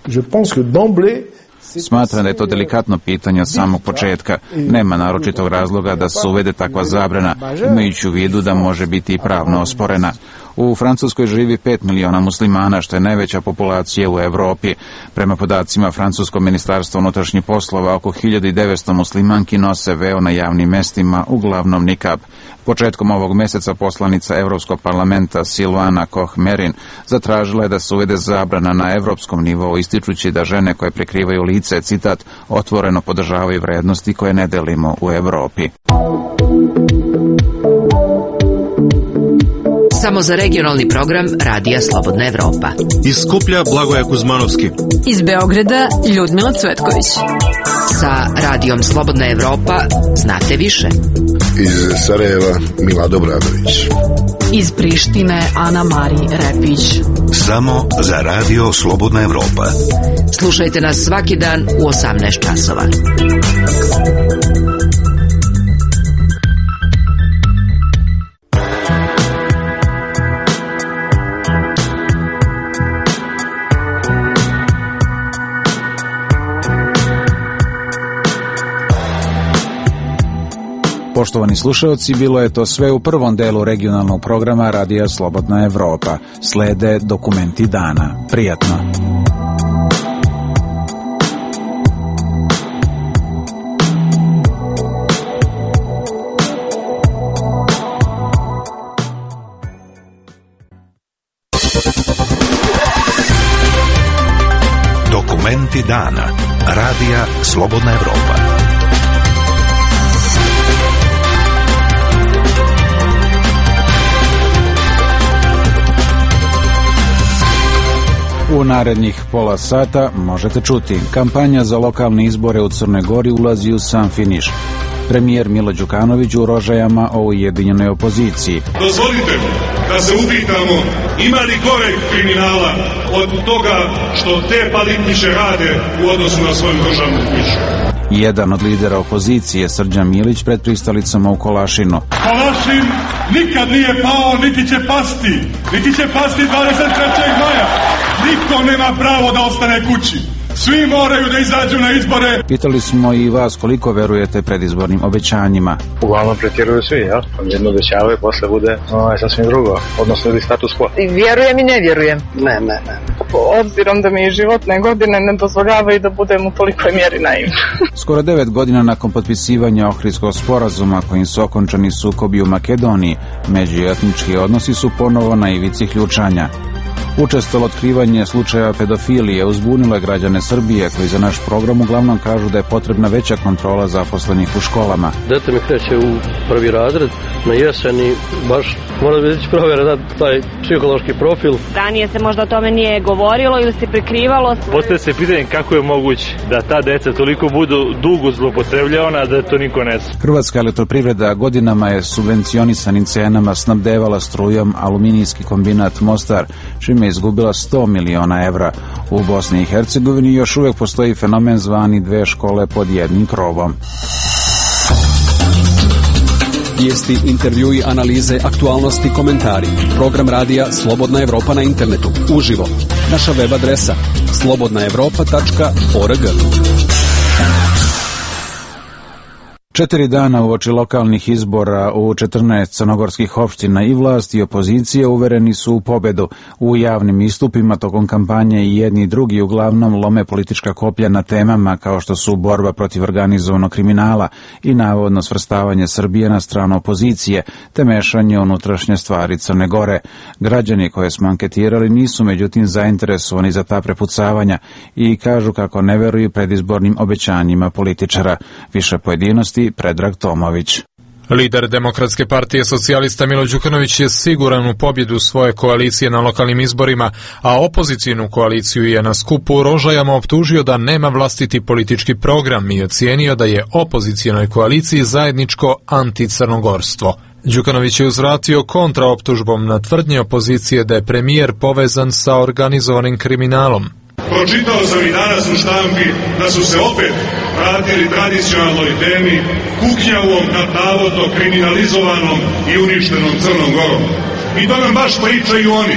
smatra da je to delikatno pitanje od samog početka. Nema naročitog razloga da se uvede takva zabrana, imajući u vidu da može biti i pravno osporena. U Francuskoj živi pet miliona muslimana, što je najveća populacija u Evropi. Prema podacima Francuskog ministarstva unutrašnjih poslova, oko hiljadu devetsto muslimanki nose veo na javnim mestima, uglavnom nikab. Početkom ovog meseca poslanica Evropskog parlamenta Silvana Koch-Merin zatražila je da se uvede zabrana na evropskom nivou, ističući da žene koje prekrivaju lice, citat, otvoreno podržavaju vrednosti koje ne delimo u Evropi. Samo za regionalni program Radija Slobodna Evropa. Iz Skuplja Blagoje Kuzmanovski. Iz Beograda Ljudmila Cvetković. Sa Radijom Slobodna Evropa znate više. Iz Sarajeva Milado Bradović. Iz Prištine Ana Mari Repić. Samo za Radio Slobodna Evropa. Slušajte nas svaki dan u osamnaest časova. Poštovani slušalci, bilo je to sve u prvom delu regionalnog programa Radija Slobodna Evropa. Slede dokumenti dana. Prijatno. Dokumenti dana. Radija Slobodna Evropa. U narednih pola sata možete čuti: kampanja za lokalne izbore u Crnoj Gori ulazi u sam finiš. Premijer Milo Đukanović u Rožajama o ujedinjenoj opoziciji. Dozvolite da se upitamo ima li goreg kriminala od toga što te Palitniće rade u odnosu na svoju državnu kuću. Jedan od lidera opozicije, Srđan Milić, pred pristalicama u Kolašinu. Kolašin nikad nije pao, niti će pasti. Niti će pasti dvadeset trećeg maja. Niko nema pravo da ostane kući. Svi moraju da izađu na izbore. Pitali smo i vas koliko verujete predizbornim obećanjima. Uglavnom pretjeruju svi, jel? Jedno obećavaju, posle bude ovaj, sasvim drugo, odnosno ili status quo. I vjerujem i ne vjerujem. Ne, ne, ne. Obzirom da mi životne godine ne dozvoljavaju da budem u tolikoj mjeri naivna. Skoro devet godina nakon potpisivanja Ohridskog sporazuma kojim su okončani sukobi u Makedoniji, međuetnički odnosi su ponovo na ivici ključanja. Učestalo otkrivanje slučaja pedofilije uzbunilo je građane Srbije koji za naš program uglavnom kažu da je potrebna veća kontrola zaposlenih u školama. Dete mi kreće u prvi razred na jesen i baš mora biti provjera da taj psihološki profil. Ranije se možda o tome nije govorilo ili se prikrivalo. Postoje se pitanje kako je moguće da ta deca toliko budu dugo zloupotrebljavana da to niko ne zna. Hrvatska elektroprivreda godinama je subvencionisanim cenama snabdevala strujom aluminijski kombinat Mostar, čime je izgubila sto miliona evra. U Bosni i Hercegovini još uvijek postoji fenomen zvani dve škole pod jednim krovom. Vijesti, intervjui, analize, aktualnosti, komentari. Program radija Slobodna Evropa na internetu. Uživo. Naša web adresa slobodna evropa tačka org. Četiri dana uoči lokalnih izbora u četrnaest crnogorskih opština i vlast i opozicija uvereni su u pobedu. U javnim istupima tokom kampanje i jedni i drugi uglavnom lome politička koplja na temama kao što su borba protiv organizovanog kriminala i navodno svrstavanje Srbije na stranu opozicije, te mešanje unutrašnje stvari Crne Gore. Građani koje smo anketirali nisu međutim zainteresovani za ta prepucavanja i kažu kako ne veruju predizbornim obećanjima političara. Više pojedinosti Predrag Tomović. Lider Demokratske partije socijalista Milo Đukanović je siguran u pobjedu svoje koalicije na lokalnim izborima, a opozicijnu koaliciju je na skupu u Rožajama optužio da nema vlastiti politički program i ocijenio da je opozicijonoj koaliciji zajedničko anticrnogorstvo. Đukanović je uzvratio kontraoptužbom na tvrdnje opozicije da je premijer povezan sa organizovanim kriminalom. Pročitao sam i danas u štampi da su se opet vratili tradicionalnoj temi kuknjavom nad navodno kriminalizovanom i uništenom Crnom Gorom. I to nam baš pričaju oni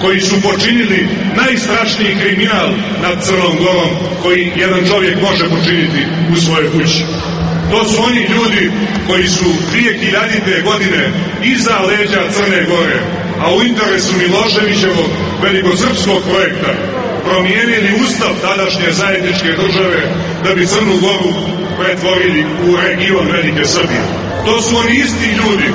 koji su počinili najstrašniji kriminal nad Crnom Gorom koji jedan čovjek može počiniti u svojoj kući. To su oni ljudi koji su dvije hiljadite godine iza leđa Crne Gore, a u interesu Miloševićevog velikosrpskog projekta promijenili ustav tadašnje zajedničke države da bi Crnu Goru pretvorili u region Velike Srbije. To su oni isti ljudi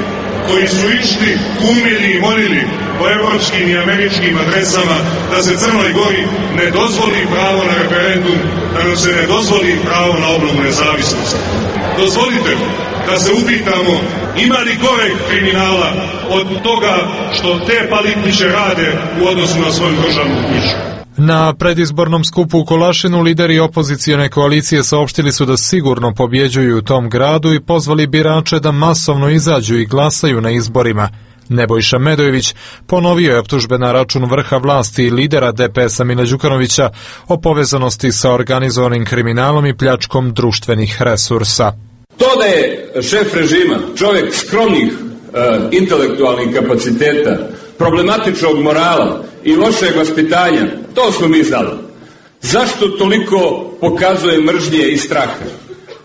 koji su išli, kumili i molili po evropskim i američkim adresama da se Crnoj Gori ne dozvoli pravo na referendum, da nam se ne dozvoli pravo na obnovu nezavisnosti. Dozvolite da se upitamo ima li goreg kriminala od toga što te Palitniće rade u odnosu na svoju državnu kuću. Na predizbornom skupu u Kolašinu lideri opozicijone koalicije saopštili su da sigurno pobjeđuju u tom gradu i pozvali birače da masovno izađu i glasaju na izborima. Nebojša Medojević ponovio je optužbe na račun vrha vlasti i lidera D P S-a Mila Đukanovića o povezanosti sa organizovanim kriminalom i pljačkom društvenih resursa. To da je šef režima čovjek skromnih e, intelektualnih kapaciteta, problematičnog morala i lošeg vaspitanja, to smo mi znali. Zašto toliko pokazuje mržnje i straha?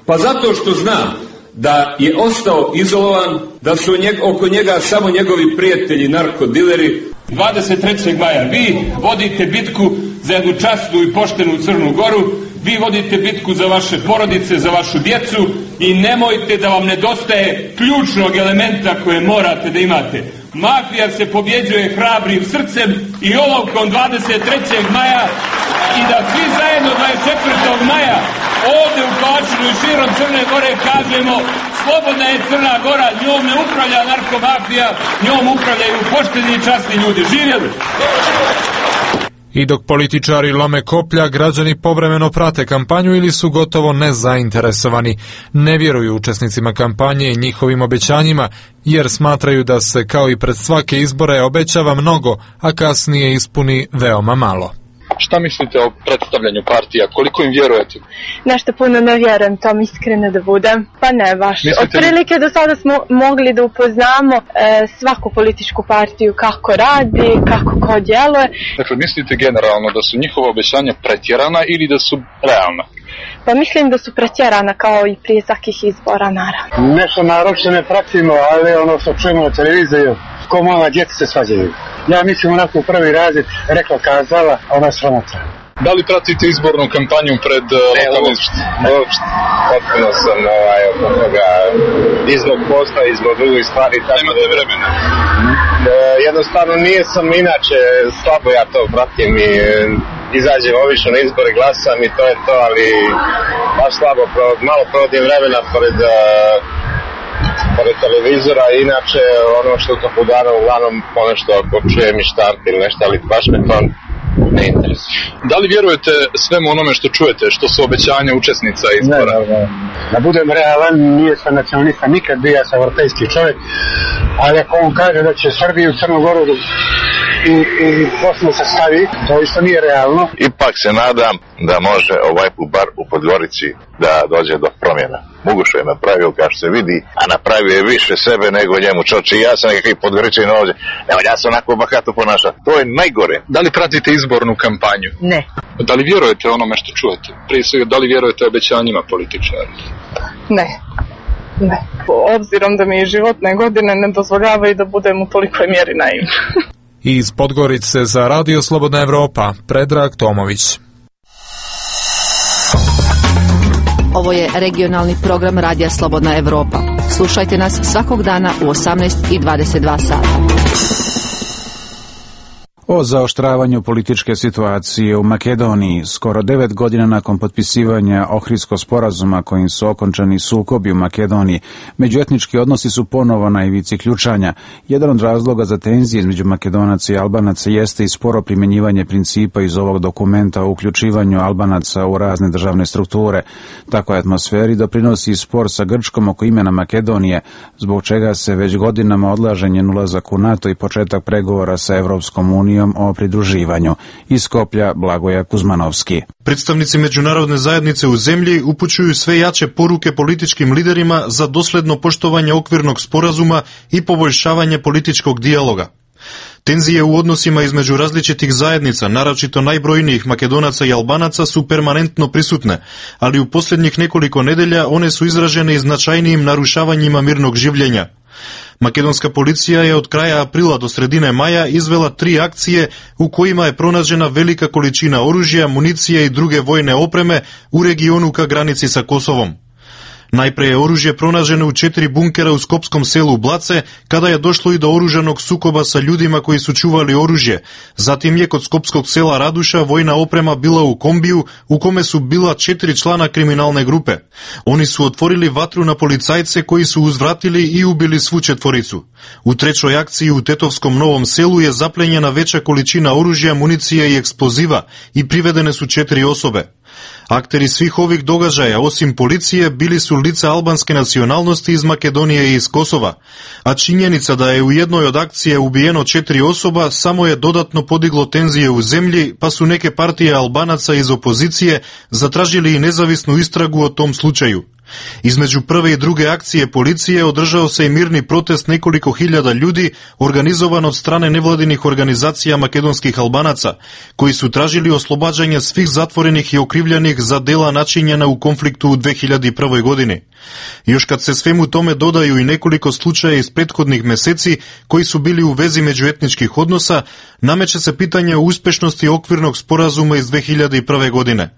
Pa zato što zna da je ostao izolovan, da su njeg, oko njega samo njegovi prijatelji narkodileri. dvadeset trećeg maja vi vodite bitku za jednu časnu i poštenu Crnu Goru, vi vodite bitku za vaše porodice, za vašu djecu i nemojte da vam nedostaje ključnog elementa koje morate da imate. Mafija se pobjeđuje hrabrim srcem i olovkom dvadeset trećeg maja i da svi zajedno dvadeset četvrtog maja ovdje u Kovačinu i širom Crne Gore kažemo slobodna je Crna Gora, njom ne upravlja narkomafija, njom upravljaju pošteni i časni ljudi. Živjeli! I dok političari lome koplja, građani povremeno prate kampanju ili su gotovo nezainteresovani. Ne vjeruju učesnicima kampanje i njihovim obećanjima, jer smatraju da se kao i pred svake izbore obećava mnogo, a kasnije ispuni veoma malo. Šta mislite o predstavljanju partija? Koliko im vjerujete? Nešto puno ne vjerujem, tom iskreno da budem. Pa ne baš. Mislite Otprilike do sada smo mogli da upoznamo e, svaku političku partiju kako radi, kako ko djeluje. Dakle, mislite generalno da su njihova obećanja pretjerana ili da su realna? Pa mislim da su pretjerana kao i prije svakih izbora, naravno. Nešto naročito ne pratimo, ali ono što čujemo na televiziju, ko mala djeca se svađaju. Ja mislim onako u prvi razred rekla kazala, a ona sramota. Da li pratite izbornu kampanju pred uh, lokalnim? Uopšte, potpuno sam ovaj, oko toga, izbog posla, izbog drugih stvari. Tako nemate vremena? E, jednostavno nije sam, inače slabo ja to pratim i izađem obično na izbore, glasam i to je to, ali baš slabo, malo provodim vremena pored, uh, pored televizora, inače ono što to podano uglavnom ponešto ako čujem i štamp ili nešto, ali baš me to ne interesuje. Da li vjerujete svemu onome što čujete, što su obećanja učesnica izbora? Ne, ne, ne. Da budem realan, nije sam nacionalista nikad bio, ja sam vrtejski čovjek, ali ako on kaže da će Srbiju, Crnu Goru i, i Bosnu se stavi, to isto nije realno. Ipak se nadam da može ovaj put bar u Podgorici da dođe do promjena. Mugušo je napravio kao što se vidi, a napravio je više sebe nego njemu čoči. Ja sam nekakvi Podgoričin ovdje, evo ja sam onako bahato ponašao. To je najgore. Da li pratite izbornu kampanju? Ne. Da li vjerujete onome što čujete? Prije svega, da li vjerujete obećanjima političara? Ne. Ne. Obzirom da mi životne godine ne dozvoljavaju da budem u tolikoj mjeri naivna. Iz Podgorice za Radio Slobodna Evropa, Predrag Tomović. Ovo je regionalni program Radija Slobodna Evropa. Slušajte nas svakog dana u osamnaest i dvadeset dva sata. O zaoštravanju političke situacije u Makedoniji skoro devet godina nakon potpisivanja Ohridskog sporazuma kojim su okončani sukobi u Makedoniji, međuetnički odnosi su ponovo na ivici ključanja. Jedan od razloga za tenzije između Makedonaca i Albanaca jeste i sporo primjenjivanje principa iz ovog dokumenta o uključivanju Albanaca u razne državne strukture. Takvoj atmosferi doprinosi i spor sa Grčkom oko imena Makedonije, zbog čega se već godinama odlaže njen ulazak u NATO i početak pregovora sa Evropskom unijom o pridruživanju. Iz Skoplja Blagoja Kuzmanovski. Predstavnici međunarodne zajednice u zemlji upućuju sve jače poruke političkim liderima za dosledno poštovanje okvirnog sporazuma i poboljšavanje političkog dijaloga. Tenzije u odnosima između različitih zajednica, naročito najbrojnijih Makedonaca i Albanaca, su permanentno prisutne, ali u posljednjih nekoliko nedelja one su izražene i značajnijim narušavanjima mirnog življenja. Makedonska policija je od kraja aprila do sredine maja izvela tri akcije u kojima je pronađena velika količina oružja, municije i druge vojne opreme u regionu ka granici sa Kosovom. Najpre je oružje pronađeno u četiri bunkera u skopskom selu Blace, kada je došlo i do oružanog sukoba sa ljudima koji su čuvali oružje. Zatim je kod skopskog sela Raduša vojna oprema bila u kombiju u kome su bila četiri člana kriminalne grupe. Oni su otvorili vatru na policajce koji su uzvratili i ubili svu četvoricu. U trećoj akciji u Tetovskom Novom selu je zaplenjena veća količina oružja, municije i eksploziva i privedene su četiri osobe. Akteri svih ovih događaja, osim policije, bili su lica albanske nacionalnosti iz Makedonije i iz Kosova, a činjenica da je u jednoj od akcije ubijeno četiri osoba samo je dodatno podiglo tenzije u zemlji, pa su neke partije Albanaca iz opozicije zatražili i nezavisnu istragu o tom slučaju. Između prve i druge akcije policije održao se i mirni protest nekoliko hiljada ljudi organizovan od strane nevladinih organizacija makedonskih Albanaca, koji su tražili oslobađanje svih zatvorenih i okrivljenih za dela načinjena u konfliktu u dve hiljade prve. godini. Još kad se svemu tome dodaju i nekoliko slučaja iz prethodnih meseci koji su bili u vezi međuetničkih odnosa, nameće se pitanje o uspešnosti okvirnog sporazuma iz dve hiljade prve. godine.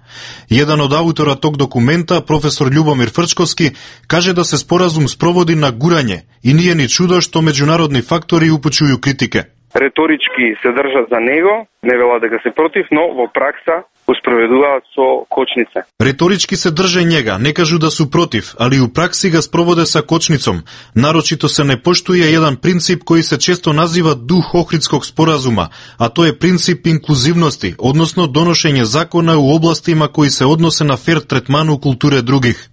Jedan od autora tog dokumenta, profesor Ljubomir Frčkovski, kaže da se sporazum sprovodi na guranje i nije ni čudo što međunarodni faktori upućuju kritike. Retorički se drža za njega, ne vela da ga se protiv, no vo praksa uspravedljuvaат со kočnice. Retorički se drže njega, ne kažu da su protiv, ali u praksi ga sprovode sa kočnicom. Naročito se ne poštuje jedan princip koji se često naziva duh Ohridskog sporazuma, a to je princip inkluzivnosti, odnosno donošenje zakona u oblastima koji se odnose na fer tretmanu kulture drugih.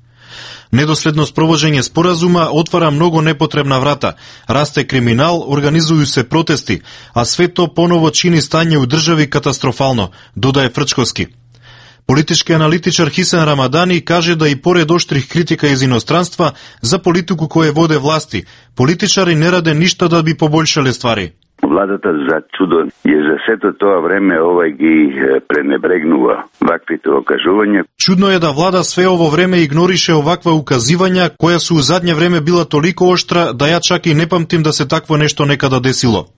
Nedosledno sprovođenje sporazuma otvara mnogo nepotrebna vrata, raste kriminal, organizuju se protesti, a sve to ponovo čini stanje u državi katastrofalno, dodaje Frčkovski. Politički analitičar Hisan Ramadani kaže da i pored oštrih kritika iz inostranstva za politiku koje vode vlasti, političari ne rade ništa da bi poboljšali stvari. Владата за чудо je za сето тоа време овај ги пренебрегнува ваквите окажувања. Čudno je da vlada sve ovo vreme ignoriše ovakva ukazivanja koja su u zadnje vreme bila toliko oštra da ja čak i ne pamtim da se takvo nešto nekada desilo.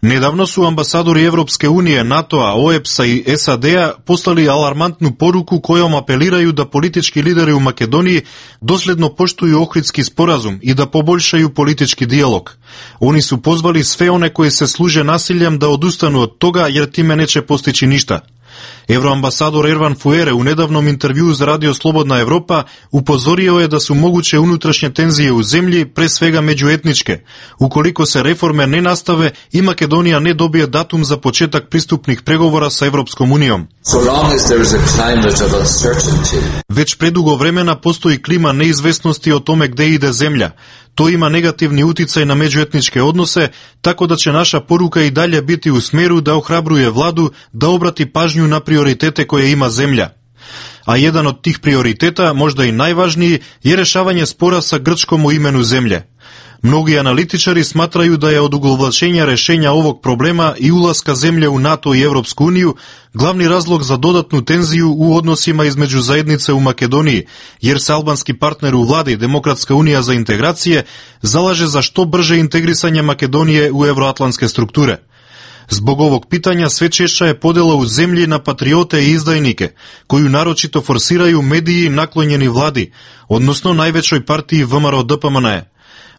Nedavno su ambasadori Evropske unije, NATO-a, O E P S-a i S A D-a poslali alarmantnu poruku kojom apeliraju da politički lideri u Makedoniji dosledno poštuju Ohridski sporazum i da poboljšaju politički dijalog. Oni su pozvali sve one koji se služe nasiljem da odustanu od toga jer time neće postići ništa. Evroambasador Ervan Fuere u nedavnom intervjuu za Radio Slobodna Evropa upozorio je da su moguće unutrašnje tenzije u zemlji, pre svega međuetničke. Ukoliko se reforme ne nastave i Makedonija ne dobije datum za početak pristupnih pregovora sa Evropskom unijom. Već predugo vremena postoji klima neizvesnosti o tome gde ide zemlja. To ima negativni uticaj na međuetničke odnose, tako da će naša poruka i dalje biti u smeru da ohrabruje vladu da obrati pažnju na prioritete koje ima zemlja. A jedan od tih prioriteta, možda i najvažniji, je rešavanje spora sa Grčkom u imenu zemlje. Mnogi analitičari smatraju da je od uglavlačenja rešenja ovog problema i ulaska zemlje u NATO i Evropsku uniju glavni razlog za dodatnu tenziju u odnosima između zajednice u Makedoniji, jer se albanski partner u vladi Demokratska unija za integracije zalaže za što brže integrisanje Makedonije u evroatlantske strukture. Zbog ovog pitanja sve češća je podela u zemlji na patriote i izdajnike, koju naročito forsiraju mediji naklonjeni vladi, odnosno najvećoj partiji V M R O D P M N E.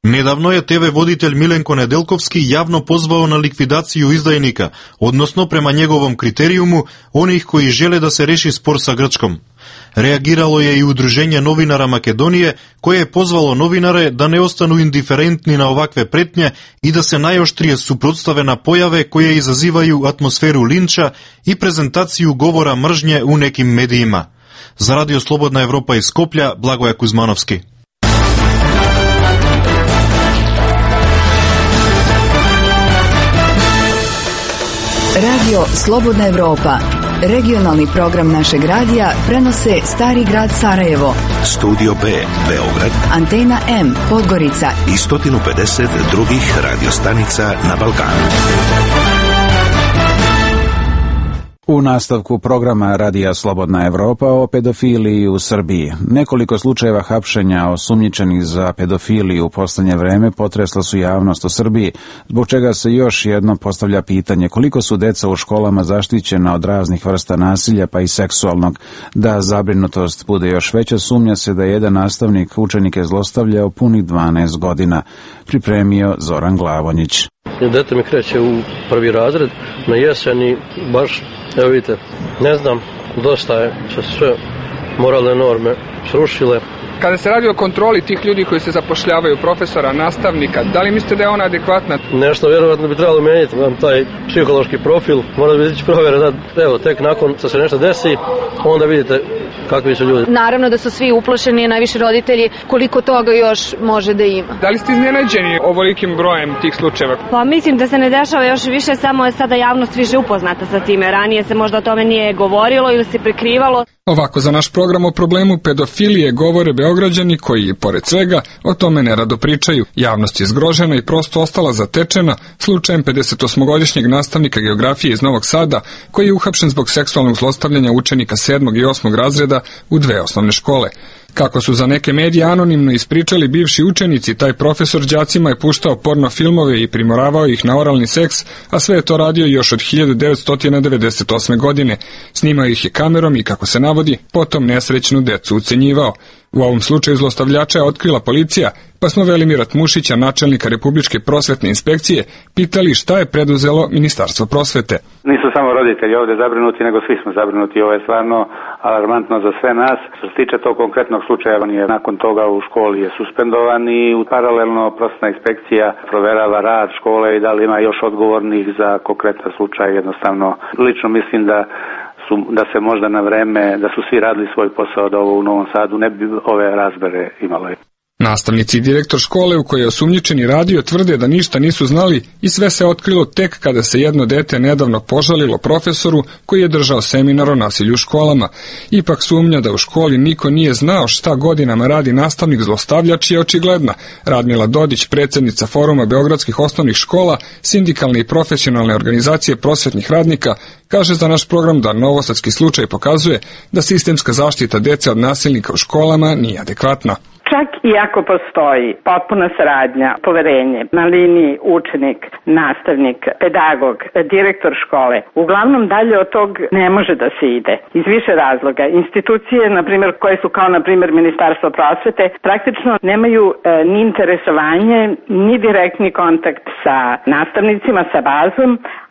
Nedavno je T V voditelj Milenko Nedeljkovski javno pozvao na likvidaciju izdajnika, odnosno prema njegovom kriterijumu onih koji žele da se reši spor sa Grčkom. Reagiralo je i Udruženje novinara Makedonije, koje je pozvalo novinare da ne ostanu indiferentni na ovakve pretnje i da se najoštrije suprotstave na pojave koje izazivaju atmosferu linča i prezentaciju govora mržnje u nekim medijima. Za Radio Slobodna Evropa iz Skoplja, Blagoja Kuzmanovski. Radio Slobodna Evropa, regionalni program našeg radija, prenose Stari grad Sarajevo, Studio B, Beograd, Antena M, Podgorica i sto pedeset drugih radiostanica na Balkanu. U nastavku programa Radija Slobodna Evropa o pedofiliji u Srbiji. Nekoliko slučajeva hapšenja osumnjičenih za pedofiliju u poslednje vreme potresla su javnost u Srbiji, zbog čega se još jedno postavlja pitanje koliko su deca u školama zaštićena od raznih vrsta nasilja pa i seksualnog. Da zabrinutost bude još veća, sumnja se da je jedan nastavnik učenike zlostavljao punih dvanaest godina. Pripremio Zoran Glavonjić. Dete mi kreće u prvi razred na jesen i baš, evo vidite, ne znam, dosta je se sve moralne norme srušile. Kada se radi o kontroli tih ljudi koji se zapošljavaju, profesora, nastavnika, da li mislite da je ona adekvatna? Nešto vjerovatno bi trebalo menjati, taj psihološki profil, mora da biti provjera, da, evo, tek nakon što se nešto desi, onda vidite kakvi su ljudi. Naravno da su svi uplošeni, najviše roditelji, koliko toga još može da ima. Da li ste iznenađeni ovolikim brojem tih slučajeva? Pa mislim da se ne dešava još više, samo je sada javnost više upoznata sa time. Ranije se možda o tome nije govorilo ili se prikrivalo. Ovako za naš program o problemu pedofilije govore Beograđani koji, pored svega, o tome nerado pričaju. Javnost je zgrožena i prosto ostala zatečena slučajem pedesetosmogodišnjeg nastavnika geografije iz Novog Sada, koji je uhapšen zbog seksualnog zlostavljanja učenika sedmog i osmog razreda u dve osnovne škole. Kako su za neke medije anonimno ispričali bivši učenici, taj profesor đacima je puštao porno filmove i primoravao ih na oralni seks, a sve je to radio još od hiljadu devetsto devedeset osme. godine. Snimao ih je kamerom i, kako se navodi, potom nesrećnu decu ucenjivao. U ovom slučaju zlostavljača je otkrila policija, pa smo Velimira Tmušića, načelnika Republičke prosvetne inspekcije, pitali šta je preduzelo Ministarstvo prosvete. Nisu samo roditelji ovdje zabrinuti, nego svi smo zabrinuti. Ovo je stvarno alarmantno za sve nas. Što se tiče tog konkretnog slučaja, on je nakon toga u školi je suspendovan i paralelno prosvetna inspekcija proverava rad škole i da li ima još odgovornih za konkretan slučaj. Jednostavno, lično mislim da Su, da se možda na vreme, da su svi radili svoj posao, da ovo u Novom Sadu ne bi ove razbere imalo. Nastavnici i direktor škole u kojoj je osumnjičeni radio tvrde da ništa nisu znali i sve se otkrilo tek kada se jedno dete nedavno požalilo profesoru koji je držao seminar o nasilju u školama. Ipak sumnja da u školi niko nije znao šta godinama radi nastavnik zlostavljač je očigledna. Radmila Dodić, predsjednica Foruma beogradskih osnovnih škola, sindikalne i profesionalne organizacije prosvetnih radnika, kaže za naš program da novosadski slučaj pokazuje da sistemska zaštita dece od nasilnika u školama nije adekvatna. Čak i ako postoji potpuna saradnja, poverenje na liniji učenik, nastavnik, pedagog, direktor škole, uglavnom dalje od tog ne može da se ide. Iz više razloga. Institucije, na primjer, koje su kao, na primjer, Ministarstvo prosvete, praktično nemaju e, ni interesovanje, ni direktni kontakt sa nastavnicima, sa bazom,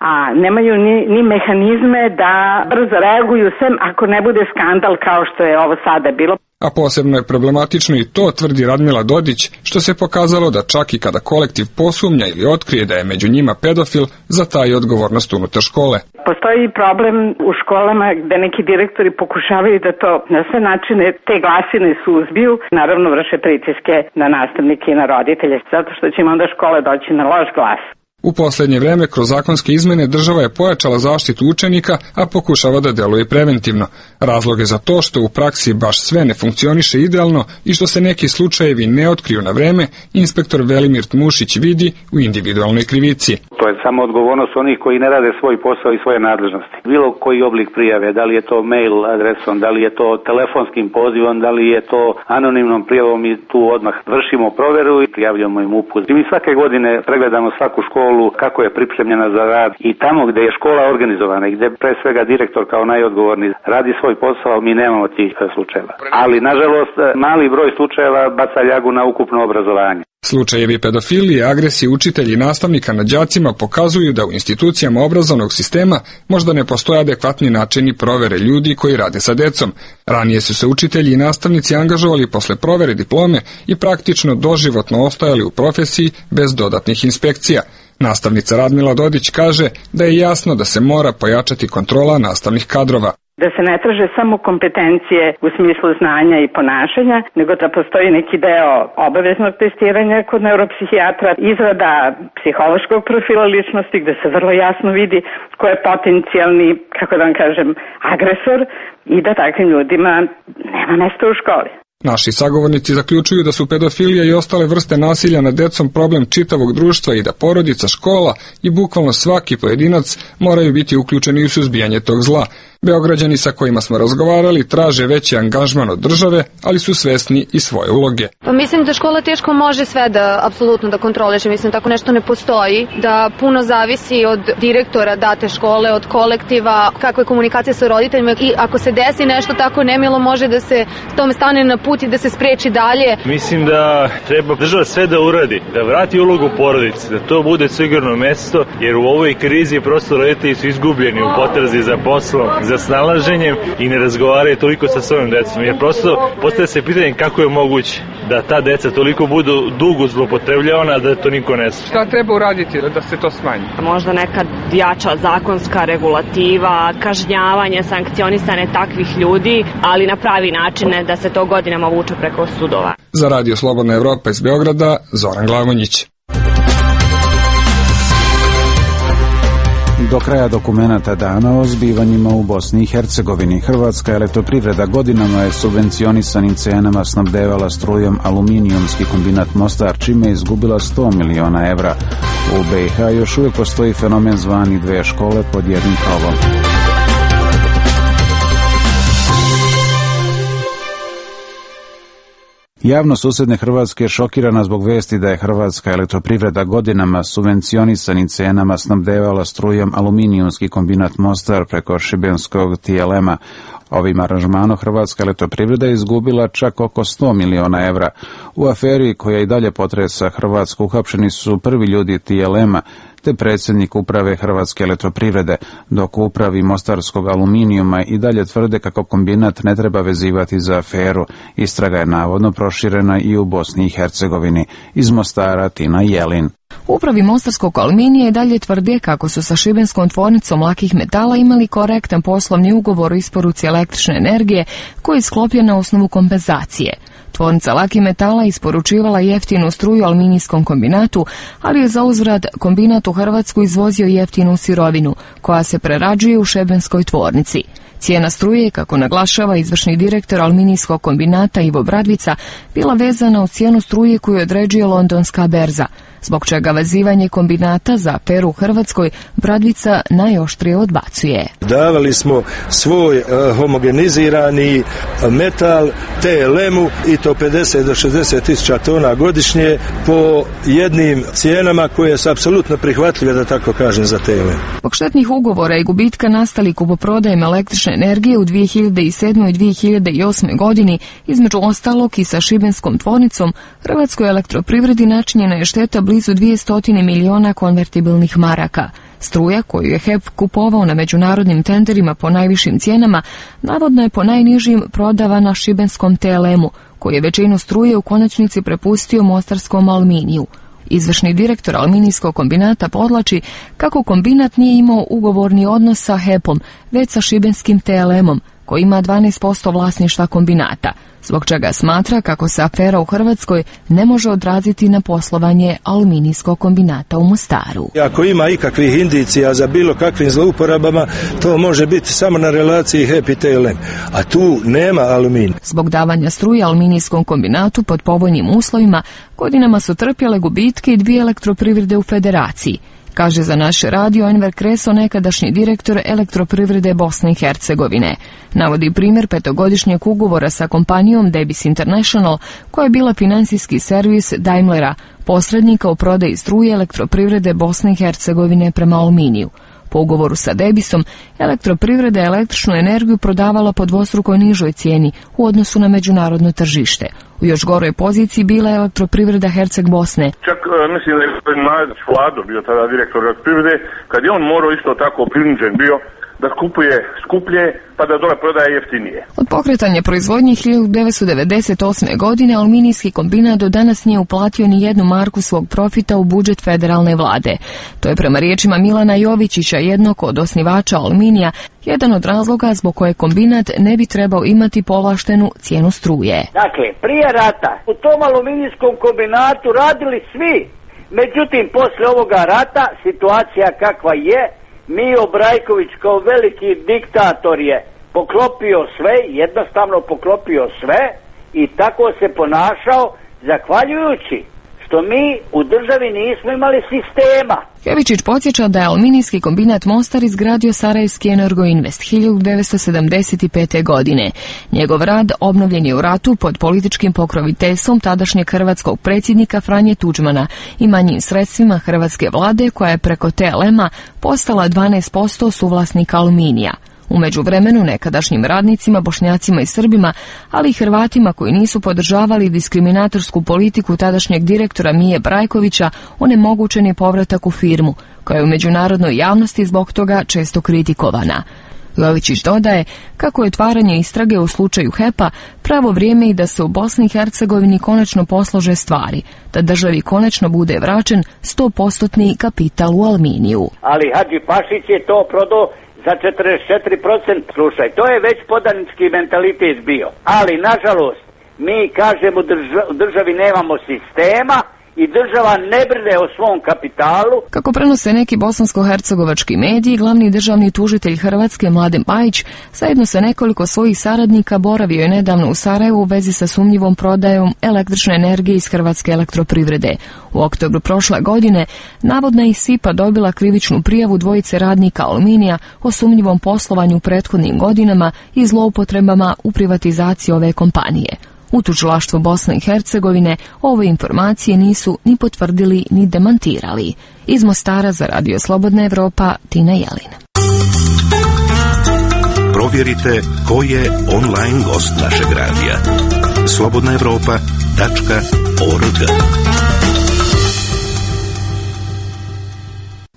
a nemaju ni, ni mehanizme da brzo reaguju, sem ako ne bude skandal kao što je ovo sada bilo. A posebno je problematično i to, tvrdi Radmila Dodić, što se pokazalo da čak i kada kolektiv posumnja ili otkrije da je među njima pedofil, zataji odgovornost unutar škole. Postoji problem u školama gde neki direktori pokušavaju da to na sve načine te glasine suzbiju, naravno vrše pritiske na nastavnike i na roditelje, zato što će im onda škole doći na loš glas. U posljednje vreme kroz zakonske izmene država je pojačala zaštitu učenika, a pokušava da deluje preventivno. Razlog je za to što u praksi baš sve ne funkcioniše idealno i što se neki slučajevi ne otkriju na vreme, inspektor Velimir Tmušić vidi u individualnoj krivici. To je samo odgovornost onih koji ne rade svoj posao i svoje nadležnosti. Bilo koji oblik prijave, da li je to mail adresom, da li je to telefonskim pozivom, da li je to anonimnom prijavom, i tu odmah vršimo proveru i prijavljamo im uput. I mi svake godine pregledamo svaku školu kako je pripremljena za rad i tamo gdje je škola organizovana i gdje pre svega direktor kao najodgovorni radi svoj posao, mi nemamo tih slučajeva. Ali nažalost mali broj slučajeva baca ljagu na ukupno obrazovanje. Slučajevi pedofilije, agresije učitelja i nastavnika nad đacima pokazuju da u institucijama obrazovnog sistema možda ne postoje adekvatni načini provere ljudi koji rade sa decom. Ranije su se učitelji i nastavnici angažovali posle provere diplome i praktično doživotno ostajali u profesiji bez dodatnih inspekcija. Nastavnica Radmila Dodić kaže da je jasno da se mora pojačati kontrola nastavnih kadrova. Da se ne traže samo kompetencije u smislu znanja i ponašanja, nego da postoji neki deo obaveznog testiranja kod neuropsihijatra, izrada psihološkog profila ličnosti gde se vrlo jasno vidi ko je potencijalni, kako da vam kažem, agresor i da takvim ljudima nema mesta u školi. Naši sagovornici zaključuju da su pedofilija i ostale vrste nasilja nad decom problem čitavog društva i da porodica, škola i bukvalno svaki pojedinac moraju biti uključeni u suzbijanje tog zla. Beograđani sa kojima smo razgovarali traže veći angažman od države, ali su svesni i svoje uloge. Pa mislim da škola teško može sve da apsolutno da kontroliše, mislim tako nešto ne postoji, da puno zavisi od direktora date škole, od kolektiva, kakva je komunikacija sa roditeljima i ako se desi nešto tako nemilo može da se tome stane na put i da se spreči dalje. Mislim da treba država sve da uradi, da vrati ulogu porodice, da to bude sigurno mesto, jer u ovoj krizi prosto roditelji su izgubljeni u potrazi za poslom, za snalaženjem i ne razgovaraju toliko sa svojim decom, jer prosto postavlja se pitanje kako je moguće da ta deca toliko budu dugo zloupotrebljavana da to niko ne zna. Šta treba uraditi da se to smanji? Možda neka jača zakonska regulativa, kažnjavanje, sankcionisane takvih ljudi, ali na pravi način, da se to godinama vuče preko sudova. Za Radio Slobodna Evropa iz Beograda, Zoran Glavonjić. Do kraja dokumenata dana o zbivanjima u Bosni i Hercegovini. Hrvatska elektroprivreda godinama je subvencionisanim cenama snabdevala strujom aluminijumski kombinat Mostar, čime je izgubila sto miliona evra. U B i H još uvijek postoji fenomen zvani dve škole pod jednim krovom. Javnost susjedne Hrvatske je šokirana zbog vesti da je Hrvatska elektroprivreda godinama subvencionisanim cenama snabdevala strujom aluminijumski kombinat Mostar preko šibenskog T L M-a. Ovim aranžmanom Hrvatska elektroprivreda je izgubila čak oko sto miliona evra. U aferi koja i dalje potresa Hrvatsku uhapšeni su prvi ljudi T L M-a, te predsjednik uprave Hrvatske elektroprivrede, dok u upravi Mostarskog aluminijuma i dalje tvrde kako kombinat ne treba vezivati za aferu. Istraga je navodno proširena i u Bosni i Hercegovini. Iz Mostara Tina Jelin. Upravi Mostarskog aluminija i dalje tvrde kako su sa šibenskom tvornicom lakih metala imali korektan poslovni ugovor o isporuci električne energije koji je sklopljen na osnovu kompenzacije. Tvornica lakih metala isporučivala jeftinu struju aluminijskom kombinatu, ali je za uzvrat kombinat u Hrvatsku izvozio jeftinu sirovinu, koja se prerađuje u šebenskoj tvornici. Cijena struje, kako naglašava izvršni direktor aluminijskog kombinata Ivo Bradvica, bila vezana u cijenu struje koju određuje londonska berza, zbog čega vezivanje kombinata za aferu u Hrvatskoj Bradvica najoštrije odbacuje. Davali smo svoj uh, homogenizirani metal T L M-u i to pedeset do šezdeset tisuća tona godišnje po jednim cijenama koje su apsolutno prihvatljive, da tako kažem, za T L M. Zbog štetnih ugovora i gubitka nastali kupoprodajem električne energije u dvije hiljade sedmoj i dvije hiljade osmoj godini, između ostalog i sa šibenskom tvornicom, Hrvatskoj elektroprivredi načinjena je šteta blizu dvjesto miliona konvertibilnih maraka. Struja koju je H E P kupovao na međunarodnim tenderima po najvišim cijenama, navodno je po najnižim prodavana šibenskom T L M-u, koji je većinu struje u konačnici prepustio mostarskom aluminiju. Izvršni direktor aluminijskog kombinata podlači kako kombinat nije imao ugovorni odnos sa H E P-om, već sa šibenskim T L M-om, koji ima dvanaest posto vlasništva kombinata, zbog čega smatra kako se afera u Hrvatskoj ne može odraziti na poslovanje aluminijskog kombinata u Mostaru. Ako ima ikakvih indicija za bilo kakvim zlouporabama, to može biti samo na relaciji H E P i T L M, a tu nema aluminija. Zbog davanja struje aluminijskom kombinatu pod povoljnim uslovima, godinama su trpjele gubitke i dvije elektroprivrede u federaciji, kaže za naš radio Enver Kreso, nekadašnji direktor elektroprivrede Bosne i Hercegovine. Navodi primjer petogodišnjeg ugovora sa kompanijom Debis International, koja je bila financijski servis Daimlera, posrednika u prodaji struje elektroprivrede Bosne i Hercegovine prema aluminiju. Po ugovoru sa Debisom, elektroprivreda je električnu energiju prodavala po dvostruko nižoj cijeni u odnosu na međunarodno tržište. U još goroj poziciji bila je elektroprivreda Herceg Bosne. Čak mislim da je gospodin Mladić Vlado bio tada direktor elektroprivrede, kad je on morao isto tako prinuđen bio da kupuje skuplje pa da dole prodaje jeftinije. Od pokretanja proizvodnje hiljadu devetsto devedeset osme. godine aluminijski kombinat do danas nije uplatio ni jednu marku svog profita u budžet federalne vlade. To je prema riječima Milana Jovičića, jednog od osnivača aluminija, jedan od razloga zbog koje kombinat ne bi trebao imati povlaštenu cijenu struje. Dakle, prije rata u tom aluminijskom kombinatu radili svi. Međutim, posle ovoga rata situacija kakva je, Mijo Brajković kao veliki diktator je poklopio sve, jednostavno poklopio sve i tako se ponašao zahvaljujući što mi u državi nismo imali sistema. Jovičić podsjeća da je aluminijski kombinat Mostar izgradio Sarajevski Energoinvest hiljadu devetsto sedamdeset pete. godine. Njegov rad obnovljen je u ratu pod političkim pokroviteljstvom tadašnjeg hrvatskog predsjednika Franje Tuđmana i manjim sredstvima hrvatske vlade, koja je preko T L M-a postala dvanaest posto suvlasnika aluminija. U međuvremenu nekadašnjim radnicima, Bošnjacima i Srbima, ali i Hrvatima koji nisu podržavali diskriminatorsku politiku tadašnjeg direktora Mije Brajkovića, onemogućen je povratak u firmu, koja je u međunarodnoj javnosti zbog toga često kritikovana. Jovičić dodaje kako je otvaranje istrage u slučaju H E P-a pravo vrijeme i da se u Bosni i Hercegovini konačno poslože stvari, da državi konačno bude vraćen sto posto kapital u aluminiju. Ali Hadži Pašić je to prodao za četrdeset četiri posto, slušaj, to je već podanički mentalitet bio. Ali, nažalost, mi kažemo u državi nemamo sistema i država ne brine o svom kapitalu. Kako prenose neki bosansko-hercegovački mediji, glavni državni tužitelj Hrvatske Mladen Bajić zajedno sa nekoliko svojih saradnika boravio je nedavno u Sarajevu u vezi sa sumnjivom prodajom električne energije iz Hrvatske elektroprivrede. U oktobru prošle godine navodna je S I P A dobila krivičnu prijavu dvojice radnika aluminija o sumnjivom poslovanju u prethodnim godinama i zloupotrebama u privatizaciji ove kompanije. U tužilaštvu Bosne i Hercegovine ove informacije nisu ni potvrdili ni demantirali. Iz Mostara za Radio Slobodna Evropa, Tina Jelin. Provjerite ko je online gost našeg radija. slobodna evropa tačka org.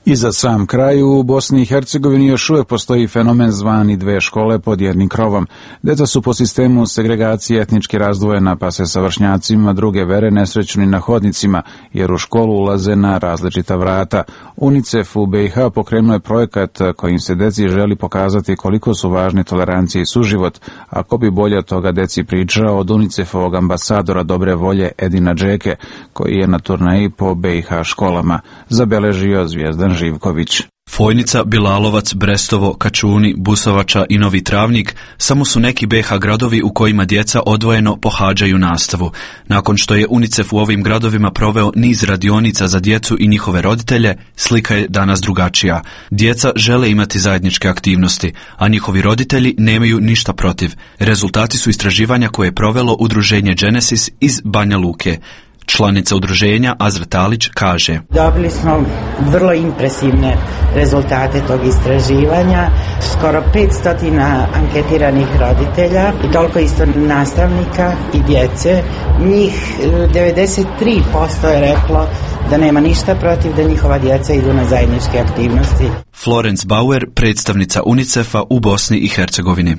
I za sam kraj, u Bosni i Hercegovini još uvijek postoji fenomen zvani dve škole pod jednim krovom. Deca su po sistemu segregacije etnički razdvojena, pa se sa vršnjacima druge vere nesreću ni na hodnicima, jer u školu ulaze na različita vrata. UNICEF u B i H pokrenuo je projekat kojim se deci želi pokazati koliko su važni tolerancija i suživot, a ko bi bolje od toga deci pričao od UNICEF-ovog ambasadora dobre volje Edina Džeke, koji je na turneji po B i H školama, zabeležio Zvijezdan Živković. Fojnica, Bilalovac, Brestovo, Kačuni, Busovača i Novi Travnik samo su neki B i H gradovi u kojima djeca odvojeno pohađaju nastavu. Nakon što je UNICEF u ovim gradovima proveo niz radionica za djecu i njihove roditelje, slika je danas drugačija. Djeca žele imati zajedničke aktivnosti, a njihovi roditelji nemaju ništa protiv. Rezultati su istraživanja koje je provelo udruženje Genesis iz Banja Luke. Članica udruženja Azra Talić kaže: Dobili smo vrlo impresivne rezultate tog istraživanja, skoro petsto anketiranih roditelja i toliko isto nastavnika i djece. Njih devedeset tri posto je reklo da nema ništa protiv da njihova djeca idu na zajedničke aktivnosti. Florence Bauer, predstavnica UNICEF-a u Bosni i Hercegovini.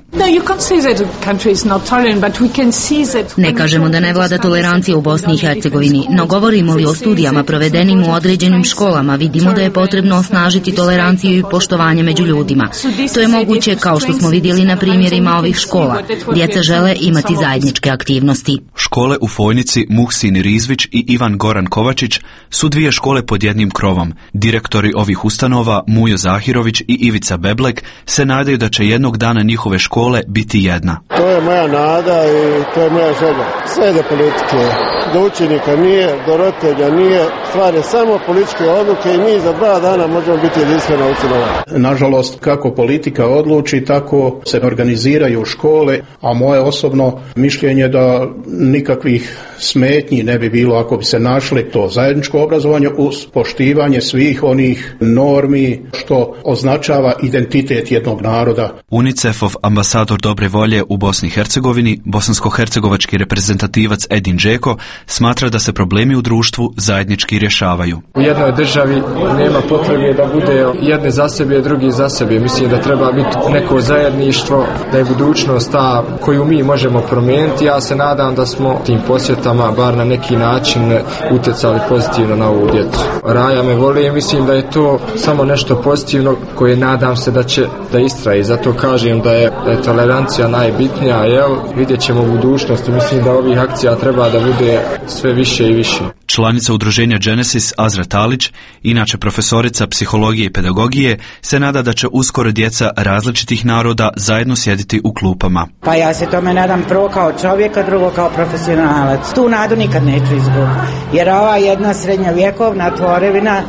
Ne kažemo da ne vlada tolerancija u Bosni i Hercegovini, no govorimo li o studijama provedenim u određenim školama, vidimo da je potrebno osnažiti toleranciju i poštovanje među ljudima. To je moguće kao što smo vidjeli na primjerima ovih škola. Djeca žele imati zajedničke aktivnosti. Škole u Fojnici, Muhsin Rizvić i Ivan Goran Kovačić su dvije škole pod jednim krovom. Direktori ovih ustanova, Mujo Zahirović i Ivica Beblek, se nadaju da će jednog dana njihove škole biti jedna. To je moja nada i to je moja želja. Sve do politike. Do učenika nije, do roditelja nije. Stvar je samo političke odluke i mi za dva dana možemo biti jedinstvena ustanova. Nažalost, kako politika odluči, tako se organiziraju škole, a moje osobno mišljenje da nikakvih smetnji ne bi bilo ako bi se našli to zajedničko obrazovanje uz poštivanje svih onih normi što označava identitet jednog naroda. UNICEF-ov ambasador dobre volje u Bosni i Hercegovini, bosansko-hercegovački reprezentativac Edin Džeko, smatra da se problemi u društvu zajednički rješavaju. U jednoj državi nema potrebe da bude jedne za sebe, drugi za sebe. Mislim da treba biti neko zajedništvo, da je budućnost ta koju mi možemo promijeniti. Ja se nadam da smo tim posjetama bar na neki način utjecali pozitivno na ovu djecu. Raja me voli i mislim da je to samo nešto pozitivno koje nadam se da će da istraji. Zato kažem da je, da je tolerancija najbitnija. Jel? Vidjet ćemo u budućnosti. Mislim da ovih akcija treba da bude sve više i više. Članica udruženja Genesis Azra Talić, inače profesorica psihologije i pedagogije, se nada da će uskoro djeca različitih naroda zajedno sjediti u klupama. Pa ja se tome nadam prvo kao čovjek, a drugo kao profesionalac. Tu nadu nikad neću izgubiti. Jer ova jedna srednjovjekovna tvorevina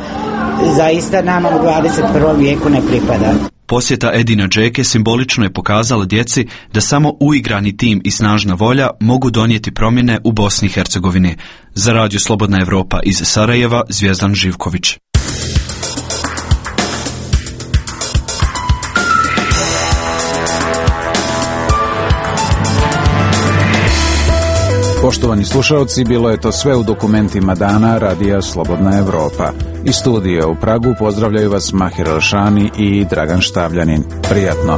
zaista nama u dvadeset prvom vijeku ne pripada. Posjeta Edina Džeke simbolično je pokazala djeci da samo uigrani tim i snažna volja mogu donijeti promjene u Bosni i Hercegovini. Za Radio Slobodna Evropa iz Sarajeva, Zvijezdan Živković. Poštovani slušalci, bilo je to sve u dokumentima dana Radija Slobodna Evropa. Iz studija u Pragu pozdravljaju vas Mahir Elšani i Dragan Štavljanin. Prijatno.